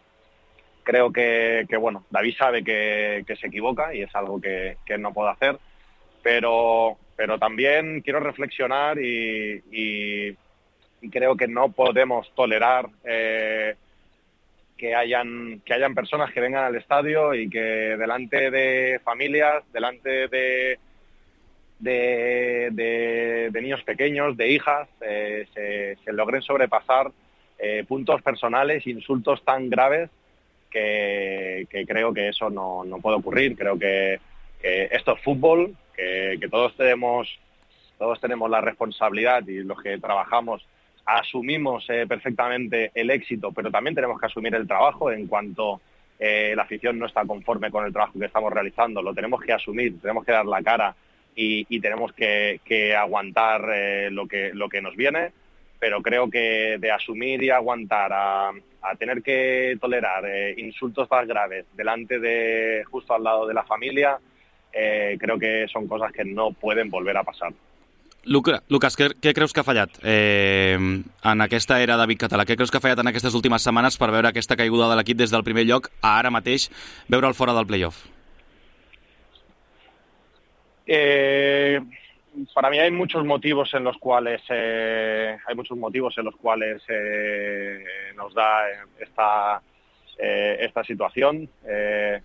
creo que, que, bueno, David sabe que, que se equivoca y es algo que, que no puede hacer, pero, pero también quiero reflexionar y, y, y creo que no podemos tolerar eh, que hayan, que hayan personas que vengan al estadio y que delante de familias, delante de De, de, de niños pequeños, de hijas, eh, se, se logren sobrepasar eh, puntos personales, insultos tan graves que, que creo que eso no, no puede ocurrir. Creo que, que esto es fútbol, que, que todos tenemos todos tenemos la responsabilidad, y los que trabajamos asumimos eh, perfectamente el éxito, pero también tenemos que asumir el trabajo. En cuanto eh, la afición no está conforme con el trabajo que estamos realizando, lo tenemos que asumir, tenemos que dar la cara. Y, y tenemos que, que aguantar eh, lo que lo que nos viene, pero creo que de asumir y aguantar a, a tener que tolerar eh, insultos más graves delante de, justo al lado de la familia, eh, creo que son cosas que no pueden volver a pasar. Luca, Lucas, què, què creus que ha fallat eh, en aquesta era David Català? Què creus que ha fallat en aquestes últimes setmanes per veure aquesta caiguda de l'equip des del primer lloc a ara mateix veure'l fora del play-off? Eh, para mí hay muchos motivos en los cuales eh, hay muchos motivos en los cuales eh, nos da esta eh, esta situación. Eh,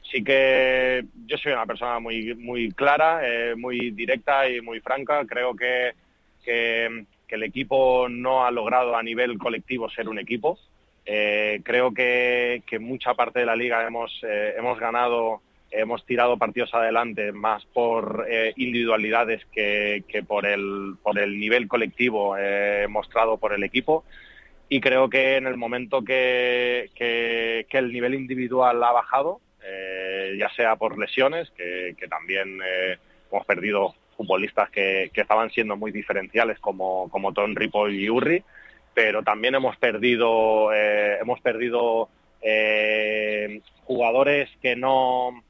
sí que yo soy una persona muy muy clara, eh, muy directa y muy franca. Creo que, que que el equipo no ha logrado a nivel colectivo ser un equipo. Eh, creo que que mucha parte de la liga hemos eh, hemos ganado. Hemos tirado partidos adelante más por eh, individualidades que, que por el por el nivel colectivo eh, mostrado por el equipo, y creo que en el momento que, que, que el nivel individual ha bajado, eh, ya sea por lesiones, que, que también eh, hemos perdido futbolistas que, que estaban siendo muy diferenciales como, como Tom Ripoll y Urri, pero también hemos perdido eh, hemos perdido eh, jugadores que no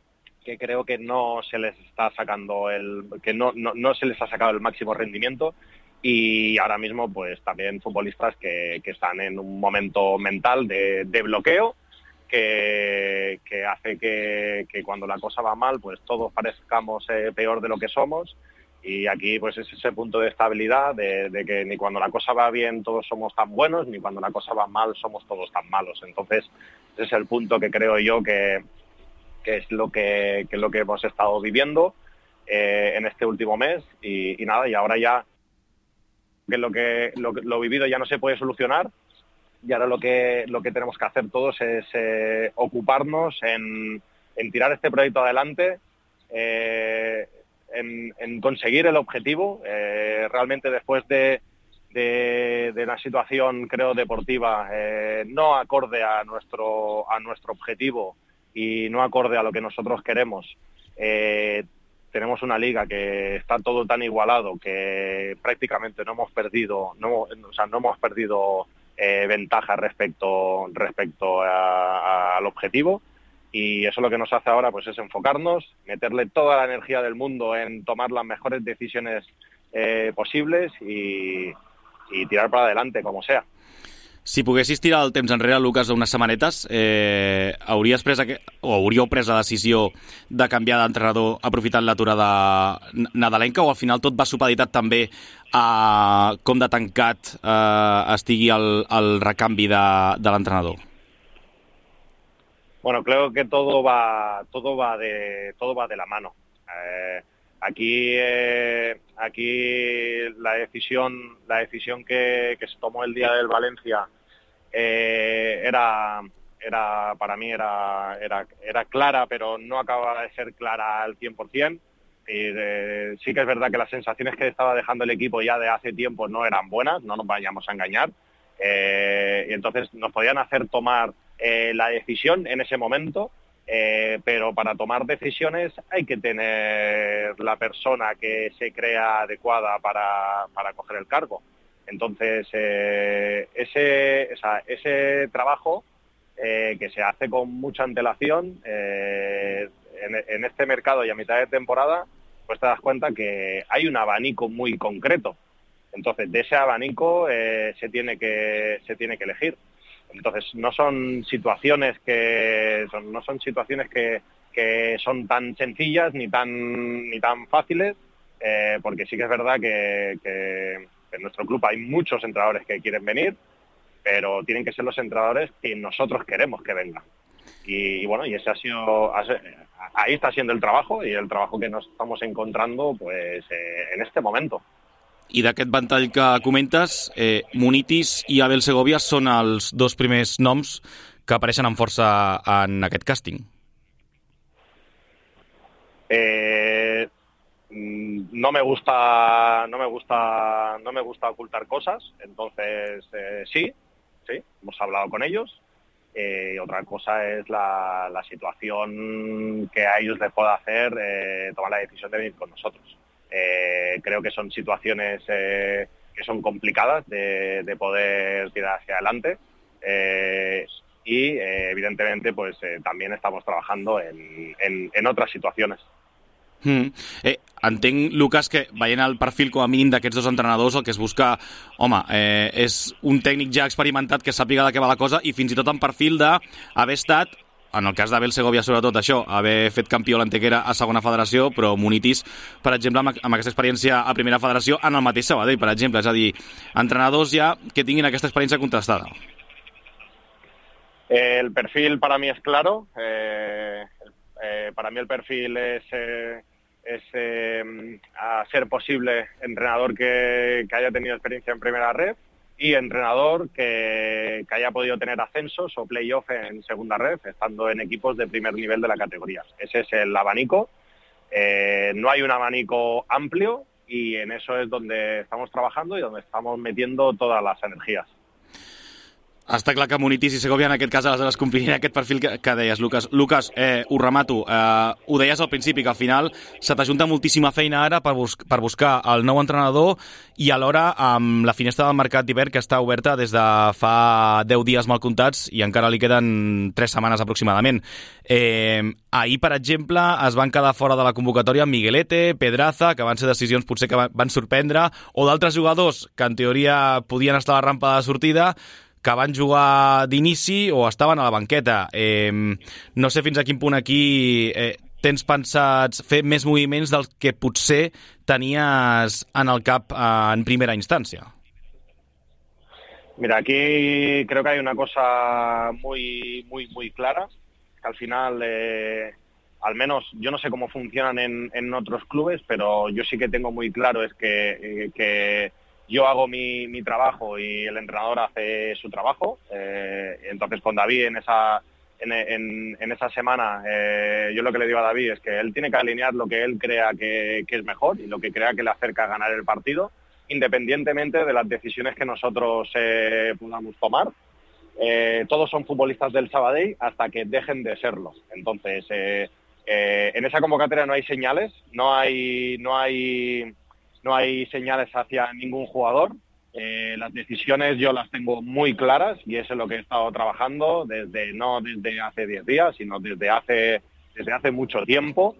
que creo que no se les está sacando el que no, no, no se les ha sacado el máximo rendimiento, y ahora mismo pues también futbolistas que, que están en un momento mental de, de bloqueo que, que hace que, que cuando la cosa va mal pues todos parezcamos eh, peor de lo que somos, y aquí pues es ese punto de estabilidad de, de que ni cuando la cosa va bien todos somos tan buenos, ni cuando la cosa va mal somos todos tan malos. Entonces ese es el punto que creo yo que que es lo que, que es lo que hemos estado viviendo eh, en este último mes, y, y nada, y ahora ya que lo que lo, lo vivido ya no se puede solucionar, y ahora lo que lo que tenemos que hacer todos es eh, ocuparnos en, en tirar este proyecto adelante, eh, en, en conseguir el objetivo. Eh, realmente después de, de, de una situación, creo, deportiva eh, no acorde a nuestro a nuestro objetivo y no acorde a lo que nosotros queremos, eh, tenemos una liga que está todo tan igualado que prácticamente no hemos perdido, no, o sea, no hemos perdido eh, ventaja respecto respecto a, a, al objetivo, y eso lo que nos hace ahora pues es enfocarnos, meterle toda la energía del mundo en tomar las mejores decisiones eh, posibles y, y tirar para adelante como sea. Si poguessis tirar el temps enrere, Lucas, unes setmanetes, eh, hauries pres aqu... o hauríeu pres la decisió de canviar d'entrenador aprofitant l'aturada nadalenca, o al final tot va supeditat també a com de tancat eh, estigui el, el recanvi de, de l'entrenador? Bueno, creo que todo va, todo va de, todo va de la mano. Eh, Aquí, eh, aquí la decisión, la decisión que, que se tomó el día del Valencia eh, era, era, para mí era, era, era clara, pero no acaba de ser clara al cien por ciento. Y, eh, sí que es verdad que las sensaciones que estaba dejando el equipo ya de hace tiempo no eran buenas, no nos vayamos a engañar. Eh, y entonces nos podían hacer tomar eh, la decisión en ese momento. Eh, pero para tomar decisiones hay que tener la persona que se crea adecuada para, para coger el cargo. Entonces, eh, ese, o sea, ese trabajo eh, que se hace con mucha antelación, eh, en, en este mercado y a mitad de temporada, pues te das cuenta que hay un abanico muy concreto. Entonces, de ese abanico eh, se tiene que, se tiene que elegir. Entonces, no son situaciones que son, no son situaciones que, que son tan sencillas ni tan ni tan fáciles, eh, porque sí que es verdad que, que, que en nuestro club hay muchos entrenadores que quieren venir, pero tienen que ser los entrenadores que nosotros queremos que vengan. Y, y bueno, y ese ha sido, ahí está siendo el trabajo y el trabajo que nos estamos encontrando, pues, eh, en este momento. I d'aquest ventall que comentes, eh, Munitis i Abel Segovia són els dos primers noms que apareixen amb força en aquest càsting. Eh, no me gusta, no me gusta, no me gusta ocultar cosas, entonces eh, sí, sí, hemos hablado con ellos. Eh, otra cosa es la, la situación que a ellos les pueda hacer eh, tomar la decisión de venir con nosotros. Eh, creo que son situaciones eh, que son complicadas de, de poder tirar hacia adelante eh, y eh, evidentemente pues eh, también estamos trabajando en, en, en otras situaciones. Mm. Eh, entenc, Lucas, que veient el perfil com a mínim d'aquests dos entrenadors, el que es busca, home, eh, és un tècnic ja experimentat que sàpiga de què va la cosa i fins i tot en perfil d'haver estat, en el cas d'Abel Segovia sobretot això, haver fet campió l'Antequera a segona federació, però Munitis, per exemple, amb, amb aquesta experiència a primera federació en el mateix Sabadell, per exemple, és a dir, entrenadors ja que tinguin aquesta experiència contrastada. El perfil para mí es claro, eh, eh, para mí el perfil es, eh, es eh, a ser posible entrenador que, que haya tenido experiencia en primera red, y entrenador que, que haya podido tener ascensos o playoff en segunda red, estando en equipos de primer nivel de la categoría. Ese es el abanico. Eh, no hay un abanico amplio y en eso es donde estamos trabajando y donde estamos metiendo todas las energías. Està clar que Munitis i Segovia en aquest cas aleshores complirien aquest perfil que, que deies, Lucas. Lucas, eh, ho remato. Eh, ho deies al principi, que al final se t'ajunta moltíssima feina ara per, bus per buscar el nou entrenador i alhora amb la finestra del mercat d'hivern que està oberta des de fa deu dies mal comptats i encara li queden tres setmanes aproximadament. Eh, ahir, per exemple, es van quedar fora de la convocatòria Miguelete, Pedraza, que van ser decisions potser que van sorprendre, o d'altres jugadors que en teoria podien estar a la rampa de sortida, que van jugar d'inici o estaven a la banqueta. Eh, no sé fins a quin punt aquí eh, tens pensats fer més moviments del que potser tenies en el cap eh, en primera instància. Mira, aquí creo que hay una cosa muy, muy, muy clara, que al final, eh, al menos yo no sé cómo funcionan en, en otros clubes, pero yo sí que tengo muy claro es que, eh, que yo hago mi, mi trabajo y el entrenador hace su trabajo. Eh, entonces con David en esa, en, en, en esa semana eh, yo lo que le digo a David es que él tiene que alinear lo que él crea que, que es mejor y lo que crea que le acerca a ganar el partido, independientemente de las decisiones que nosotros eh, podamos tomar. Eh, todos son futbolistas del Sabadell hasta que dejen de serlo. Entonces eh, eh, en esa convocatoria no hay señales, no hay... No hay No hay señales hacia ningún jugador. Eh, las decisiones yo las tengo muy claras y eso es lo que he estado trabajando desde no desde hace diez días, sino desde hace desde hace mucho tiempo.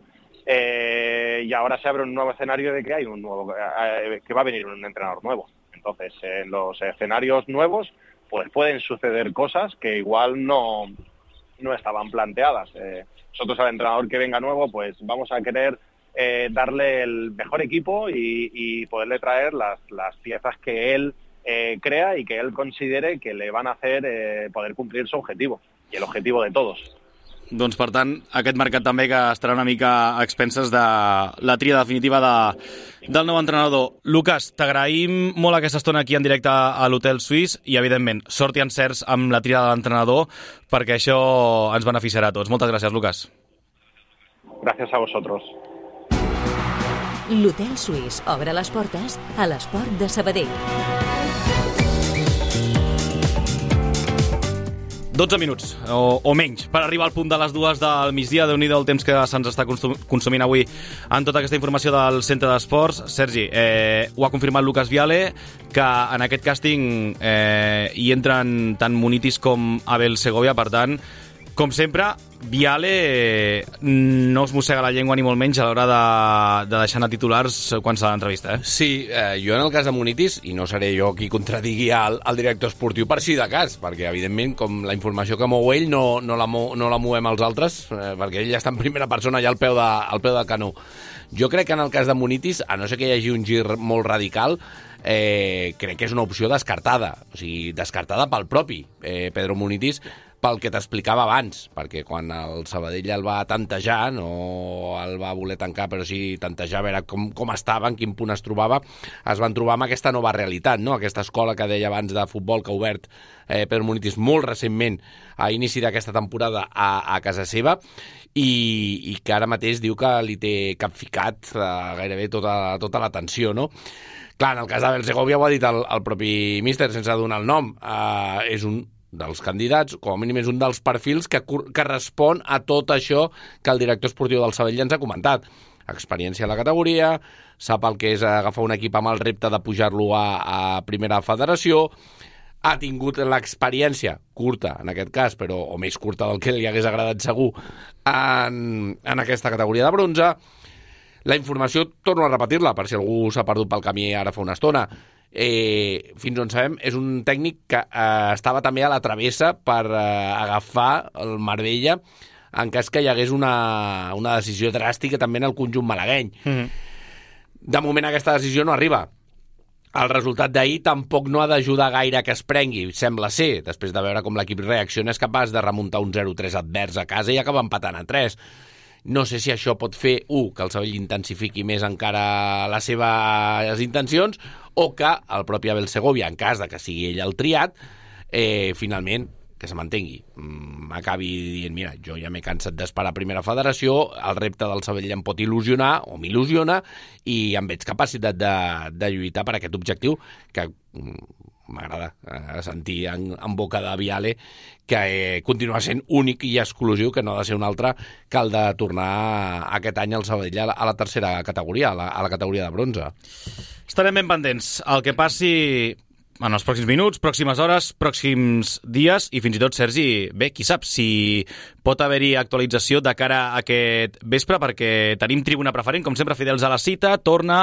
Eh, y ahora se abre un nuevo escenario de que hay un nuevo eh, que va a venir un entrenador nuevo. Entonces, en los escenarios nuevos, pues pueden suceder cosas que igual no, no estaban planteadas. Eh, nosotros al entrenador que venga nuevo, pues vamos a querer eh, darle el mejor equipo y, y poderle traer las, las piezas que él eh, crea y que él considere que le van a hacer eh, poder cumplir su objetivo y el objetivo de todos. Doncs, per tant, aquest mercat també que estarà una mica a expenses de la tria definitiva de, del nou entrenador. Lucas, t'agraïm molt aquesta estona aquí en directe a l'Hotel Suís i, evidentment, sort i encerts amb la tria de l'entrenador, perquè això ens beneficiarà a tots. Moltes gràcies, Lucas. Gràcies a vosotros. L'Hotel Suís obre les portes a l'esport de Sabadell. dotze minuts, o, o menys, per arribar al punt de les dues del migdia. Déu-n'hi-do el temps que se'ns està consumint avui en tota aquesta informació del Centre d'Esports. Sergi, eh, ho ha confirmat Lucas Viale, que en aquest càsting eh, hi entren tant Munitis com Abel Segovia, per tant, com sempre, Viale no es mossega la llengua ni molt menys a l'hora de, de deixar anar titulars quan s'ha l'entrevista, eh? Sí, eh, jo en el cas de Munitis, i no seré jo qui contradigui al, al director esportiu per si de cas, perquè evidentment com la informació que mou ell no, no, la, mou, no la movem els altres, eh, perquè ell ja està en primera persona ja al peu, de, al peu del canó. Jo crec que en el cas de Munitis, a no ser que hi hagi un gir molt radical, eh, crec que és una opció descartada, o sigui, descartada pel propi eh, Pedro Munitis, pel que t'explicava abans, perquè quan el Sabadell el va tantejar, no el va voler tancar, però sí tantejar a veure com, com estava, en quin punt es trobava, es van trobar amb aquesta nova realitat, no? Aquesta escola que deia abans de futbol que ha obert eh, Pedro Munitis molt recentment a inici d'aquesta temporada a, a casa seva, i, i que ara mateix diu que li té capficat eh, gairebé tota, tota l'atenció, no? Clar, en el cas d'Abel Segovia ho ha dit el, el propi míster sense donar el nom, eh, és un dels candidats, com a mínim és un dels perfils que, que respon a tot això que el director esportiu del Sabadell ens ha comentat. Experiència a la categoria, sap el que és agafar un equip amb el repte de pujar-lo a, a primera federació, ha tingut l'experiència curta, en aquest cas, però o més curta del que li hagués agradat segur, en, en aquesta categoria de bronze. La informació, torno a repetir-la, per si algú s'ha perdut pel camí ara fa una estona, Eh, fins on sabem, és un tècnic que eh, estava també a la travessa per eh, agafar el Marbella en cas que hi hagués una, una decisió dràstica també en el conjunt malagueny. Mm-hmm. De moment aquesta decisió no arriba. El resultat d'ahir tampoc no ha d'ajudar gaire que es prengui, sembla ser, després de veure com l'equip reacciona, és capaç de remuntar un zero tres advers a casa i acaba empatant a tres. No sé si això pot fer, un, que el Sabadell intensifiqui més encara les seves intencions, o que el propi Abel Segovia, en cas de que sigui ell el triat, eh, finalment, que se mantengui, acabi dient, mira, jo ja m'he cansat d'esperar a primera federació, el repte del Sabadell em pot il·lusionar, o m'il·lusiona, i em veig capacitat de, de lluitar per aquest objectiu, que m'agrada eh, sentir en, en boca de Viale que eh, continua sent únic i exclusiu, que no ha de ser un altre que el de tornar aquest any al Sabadell a la, a la tercera categoria, a la, a la categoria de bronze. Estarem ben pendents. El que passi en els pròxims minuts, pròximes hores, pròxims dies, i fins i tot, Sergi, bé, qui sap si pot haver-hi actualització de cara a aquest vespre, perquè tenim Tribuna Preferent, com sempre, fidels a la cita. Torna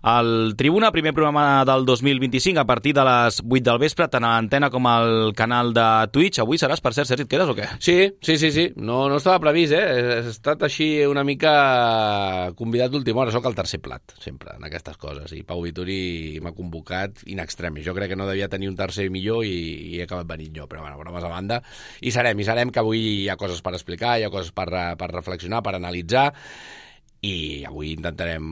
al Tribuna, primer programa del dos mil vint-i-cinc, a partir de les vuit del vespre, tant a l'antena com al canal de Twitch. Avui seràs, per cert, Sergi, et quedes o què? Sí, sí, sí, sí. No, no estava previst, eh? He estat així una mica convidat d'última hora. Soc el tercer plat, sempre, en aquestes coses. I Pau Vituri m'ha convocat in extremis. Jo crec que no devia tenir un tercer millor i, i he acabat venint jo, però bueno, bromes a banda. I serem, i serem, que avui hi ha coses per explicar, hi ha coses per, per reflexionar, per analitzar, i avui intentarem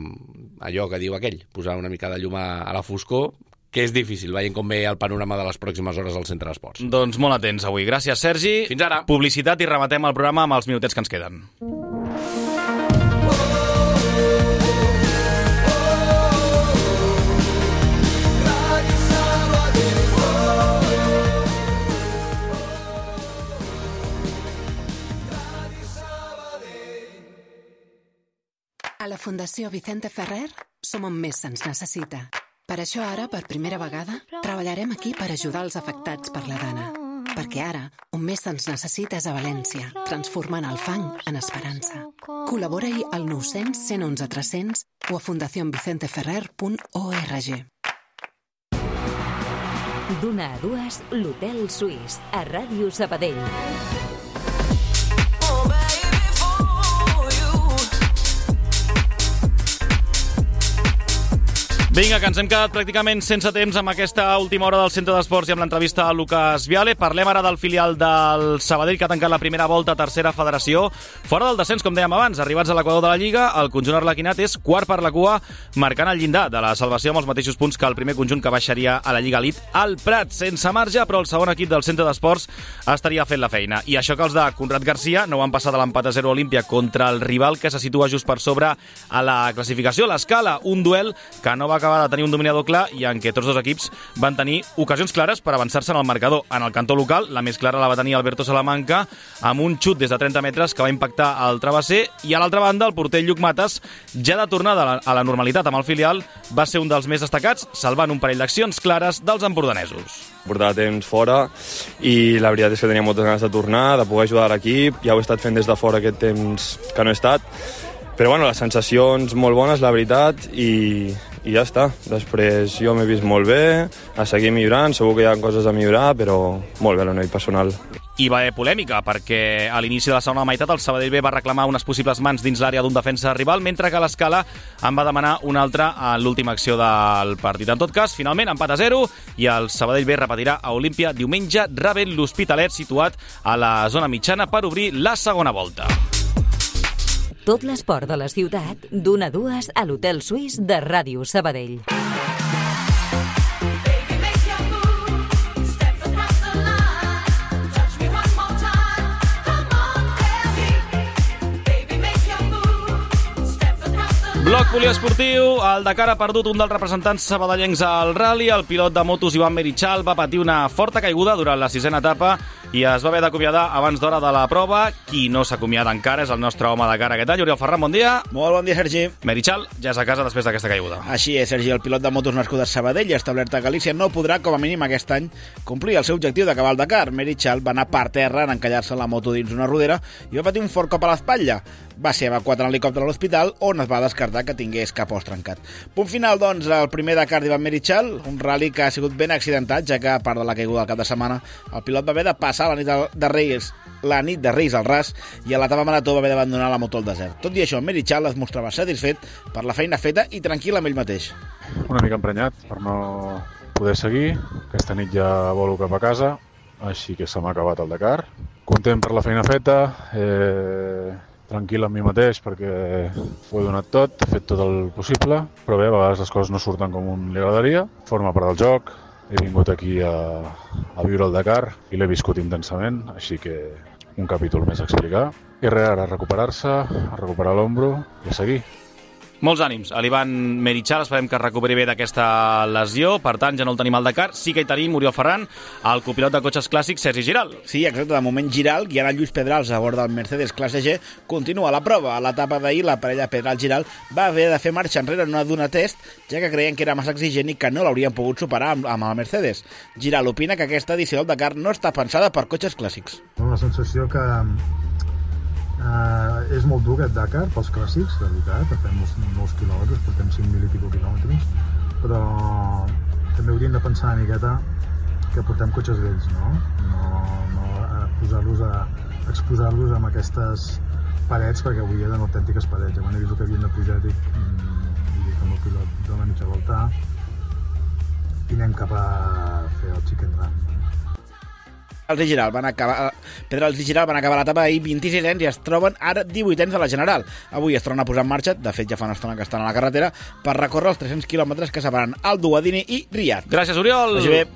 allò que diu aquell, posar una mica de llum a, a la foscor, que és difícil, veient com ve el panorama de les pròximes hores al Centre d'Esports. Doncs molt atents avui. Gràcies, Sergi. Fins ara. Publicitat i rematem el programa amb els minutets que ens queden. A la Fundació Vicente Ferrer som on més se'ns necessita. Per això ara, per primera vegada, treballarem aquí per ajudar els afectats per la gana. Perquè ara, on més se'ns necessita és a València, transformant el fang en esperança. Col·labora-hi al nou cents, cent onze, tres cents o a fundación vicente ferrer punt org. D'una a dues, l'Hotel Suís, a Ràdio Sabadell. Vinga, que ens hem quedat pràcticament sense temps amb aquesta última hora del Centre d'Esports i amb l'entrevista a Lucas Viale. Parlem ara del filial del Sabadell, que ha tancat la primera volta a tercera federació. Fora del descens, com dèiem abans, arribats a l'equador de la Lliga, el conjunt arlequinat és quart per la cua, marcant el llindar de la salvació amb els mateixos punts que el primer conjunt que baixaria a la Lliga Elite, al Prat, sense marge, però el segon equip del Centre d'Esports estaria fent la feina. I això que els de Conrad Garcia no van passar de l'empat a zero Olímpia contra el rival que se situa just per sobre a la classificació, l'Escala, un duel que no va acabar de tenir un dominador clar i en què tots dos equips van tenir ocasions clares per avançar-se en el marcador. En el cantó local, la més clara la va tenir Alberto Salamanca amb un xut des de trenta metres que va impactar al travesser, i a l'altra banda el porter Lluc Mates, ja de tornada a la normalitat amb el filial, va ser un dels més destacats, salvant un parell d'accions clares dels empordanesos. Portava temps fora i la veritat és que tenia moltes ganes de tornar, de poder ajudar l'equip. Ja ho he estat fent des de fora aquest temps que no he estat, però bueno, les sensacions molt bones, la veritat, i, i ja està. Després jo m'he vist molt bé, a seguir millorant, segur que hi ha coses a millorar, però molt bé a nivell personal. I va haver polèmica, perquè a l'inici de la segona meitat el Sabadell B va reclamar unes possibles mans dins l'àrea d'un defensa rival, mentre que l'Escala en va demanar una altra a l'última acció del partit. En tot cas, finalment, empat a zero, i el Sabadell B repetirà a Olímpia diumenge, rebent l'Hospitalet, situat a la zona mitjana, per obrir la segona volta. Tot l'esport de la ciutat, d'una a dues, a l'Hotel Suís de Ràdio Sabadell. Bloc poliesportiu, el Dakar ha perdut un dels representants sabadellencs al rally. El pilot de motos Ivan Merichal va patir una forta caiguda durant la sisena etapa i es va haver d'acomiadar abans d'hora de la prova. Qui no s'acomiada encara és el nostre home Dakar aquest any, Oriol Ferran, bon dia. Molt bon dia, Sergi. Merichal ja és a casa després d'aquesta caiguda. Així és, Sergi, el pilot de motos nascut a Sabadell i establert a Galícia no podrà, com a mínim aquest any, complir el seu objectiu d'acabar el Dakar. Merichal va anar per terra en encallar-se la moto dins una rodera i va patir un fort cop a l'espatlla. Va ser evacuat en helicòpter a l'hospital, on es va descartar que tingués cap os trencat. Punt final, doncs, el primer Dakar d'Ivan Merichal, un rally que ha sigut ben accidentat, ja que, a part de la caiguda del cap de setmana, el pilot va haver de passar la nit de Reis, la nit de Reis al ras, i a l'etapa marató va haver d'abandonar la moto al desert. Tot i això, Merichal es mostrava satisfet per la feina feta i tranquil amb ell mateix. Una mica emprenyat per no poder seguir. Aquesta nit ja volo cap a casa, així que se m'ha acabat el Dakar. Content per la feina feta, eh... tranquil amb mi mateix perquè ho he donat tot, he fet tot el possible, però bé, a vegades les coses no surten com un li agradaria. Forma part del joc, he vingut aquí a, a viure el Dakar i l'he viscut intensament, així que un capítol més a explicar. I res, ara a recuperar-se, a recuperar l'ombro i a seguir. Molts ànims a l'Ivan Merichal, esperem que es recuperi bé d'aquesta lesió. Per tant, ja no el tenim al Dakar, sí que hi tenim Oriol Ferran, el copilot de cotxes clàssics Sergi Giral. Sí, exacte, de moment Giral, guiant a Lluís Pedrals a bord del Mercedes classe G, continua la prova. A l'etapa d'ahir, la parella Pedral-Giral va haver de fer marxa enrere en una duna test, ja que creien que era massa exigent i que no l'haurien pogut superar amb, amb el Mercedes. Giral opina que aquesta edició del Dakar no està pensada per cotxes clàssics. La sensació que Uh, és molt dur aquest Dakar pels clàssics, de veritat, fem molts, molts quilòmetres, portem cinc mil i pico quilòmetres, però també hauríem de pensar una miqueta que portem cotxes vells, no? No, no a posar-los a exposar-los amb aquestes parets, perquè avui eren autèntiques parets. Quan he vist que havien de pujar, dic, i dic amb el pilot de la mitja volta i anem cap a fer el chicken run. Els i Giral van acabar, Pedrals i Giral van acabar l'etapa ahir vint-i-sisens i es troben ara divuitens a la general. Avui es tornen a posar en marxa, de fet ja fa una estona que estan a la carretera, per recórrer els tres-cents quilòmetres que separen el Duadini i Riyadh. Gràcies, Oriol! Vagi bé.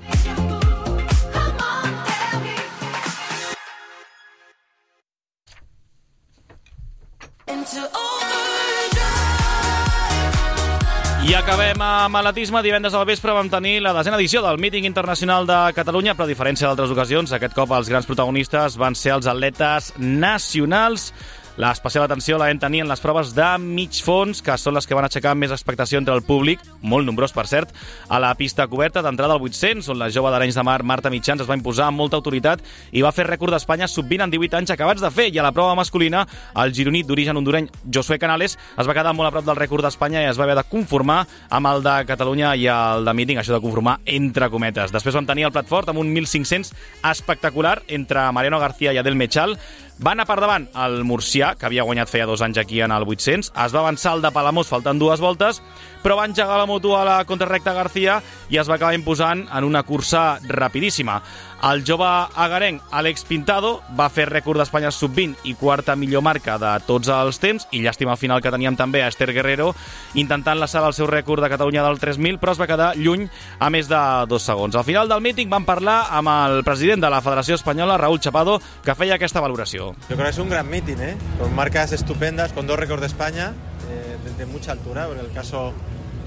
I acabem amb atletisme. Divendres al vespre vam tenir la desena edició del Míting Internacional de Catalunya, però a diferència d'altres ocasions, aquest cop els grans protagonistes van ser els atletes nacionals. L'especial atenció la vam tenir en les proves de mig fons, que són les que van aixecar més expectació entre el públic, molt nombrós, per cert, a la pista coberta d'entrada al vuit-cents, on la jove d'Arenys de Mar, Marta Mitjans, es va imposar amb molta autoritat i va fer rècord d'Espanya sub vint en divuit anys acabats de fer. I a la prova masculina, el gironí d'origen hondureny Josué Canales es va quedar molt a prop del rècord d'Espanya i es va haver de conformar amb el de Catalunya i el de Meeting, això de conformar entre cometes. Després vam tenir el plat fort amb un mil cinc-cents espectacular entre Mariano García i Adel Mechal. Va anar per davant el murcià, que havia guanyat feia dos anys aquí en el vuit-cents. Es va avançar el de Palamós faltant dues voltes, però va engegar la moto a la contrarrecta García i es va acabar imposant en una cursa rapidíssima. El jove agarenc Àlex Pintado va fer rècord d'Espanya sub vint i quarta millor marca de tots els temps, i llàstima al final que teníem també a Esther Guerrero intentant laçar el seu rècord de Catalunya del tres mil, però es va quedar lluny a més de dos segons. Al final del míting vam parlar amb el president de la Federació Espanyola, Raúl Chapado, que feia aquesta valoració. Yo creo que es un gran meeting, ¿eh? Con marcas estupendas, con dos récords de España, eh, de, de mucha altura. En el caso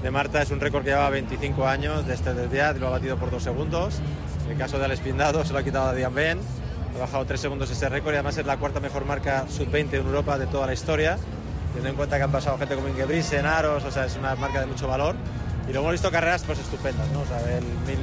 de Marta es un récord que lleva veinticinco años desde el día y lo ha batido por dos segundos. En el caso de Alex Pintado se lo ha quitado a Diane Ben, ha bajado tres segundos ese récord y además es la cuarta mejor marca sub veinte en Europa de toda la historia, teniendo en cuenta que han pasado gente como Ingebrigtsen, Aros, o sea, es una marca de mucho valor. Y luego hemos visto carreras pues estupendas, ¿no? O sea, el mil,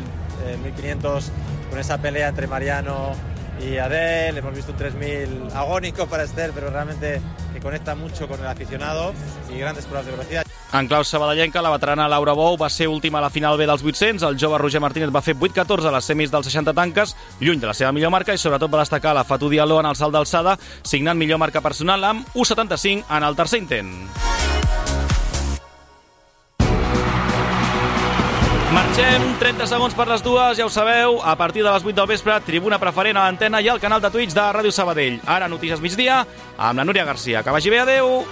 eh, mil quinientos con esa pelea entre Mariano y Adel, hemos visto un tres mil agónico para Esther, pero realmente que conecta mucho con el aficionado y grandes pruebas de velocidad. En clau sabadellenca, la veterana Laura Bou va ser última a la final B dels vuit-cents, el jove Roger Martínez va fer vuit catorze a les semis dels seixanta tanques, lluny de la seva millor marca, i sobretot va destacar la Fatou Diallo en el salt d'alçada, signant millor marca personal amb u setanta-cinc en el tercer intent. Marxem, trenta segons per les dues, ja ho sabeu, a partir de les vuit del vespre, tribuna preferent a l'antena i al canal de Twitch de Ràdio Sabadell. Ara notícies migdia amb la Núria Garcia. Que vagi bé, adeu!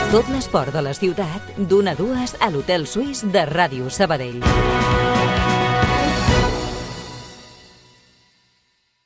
Tot l'esport de la ciutat, d'una a dues a l'Hotel Suís de Ràdio Sabadell.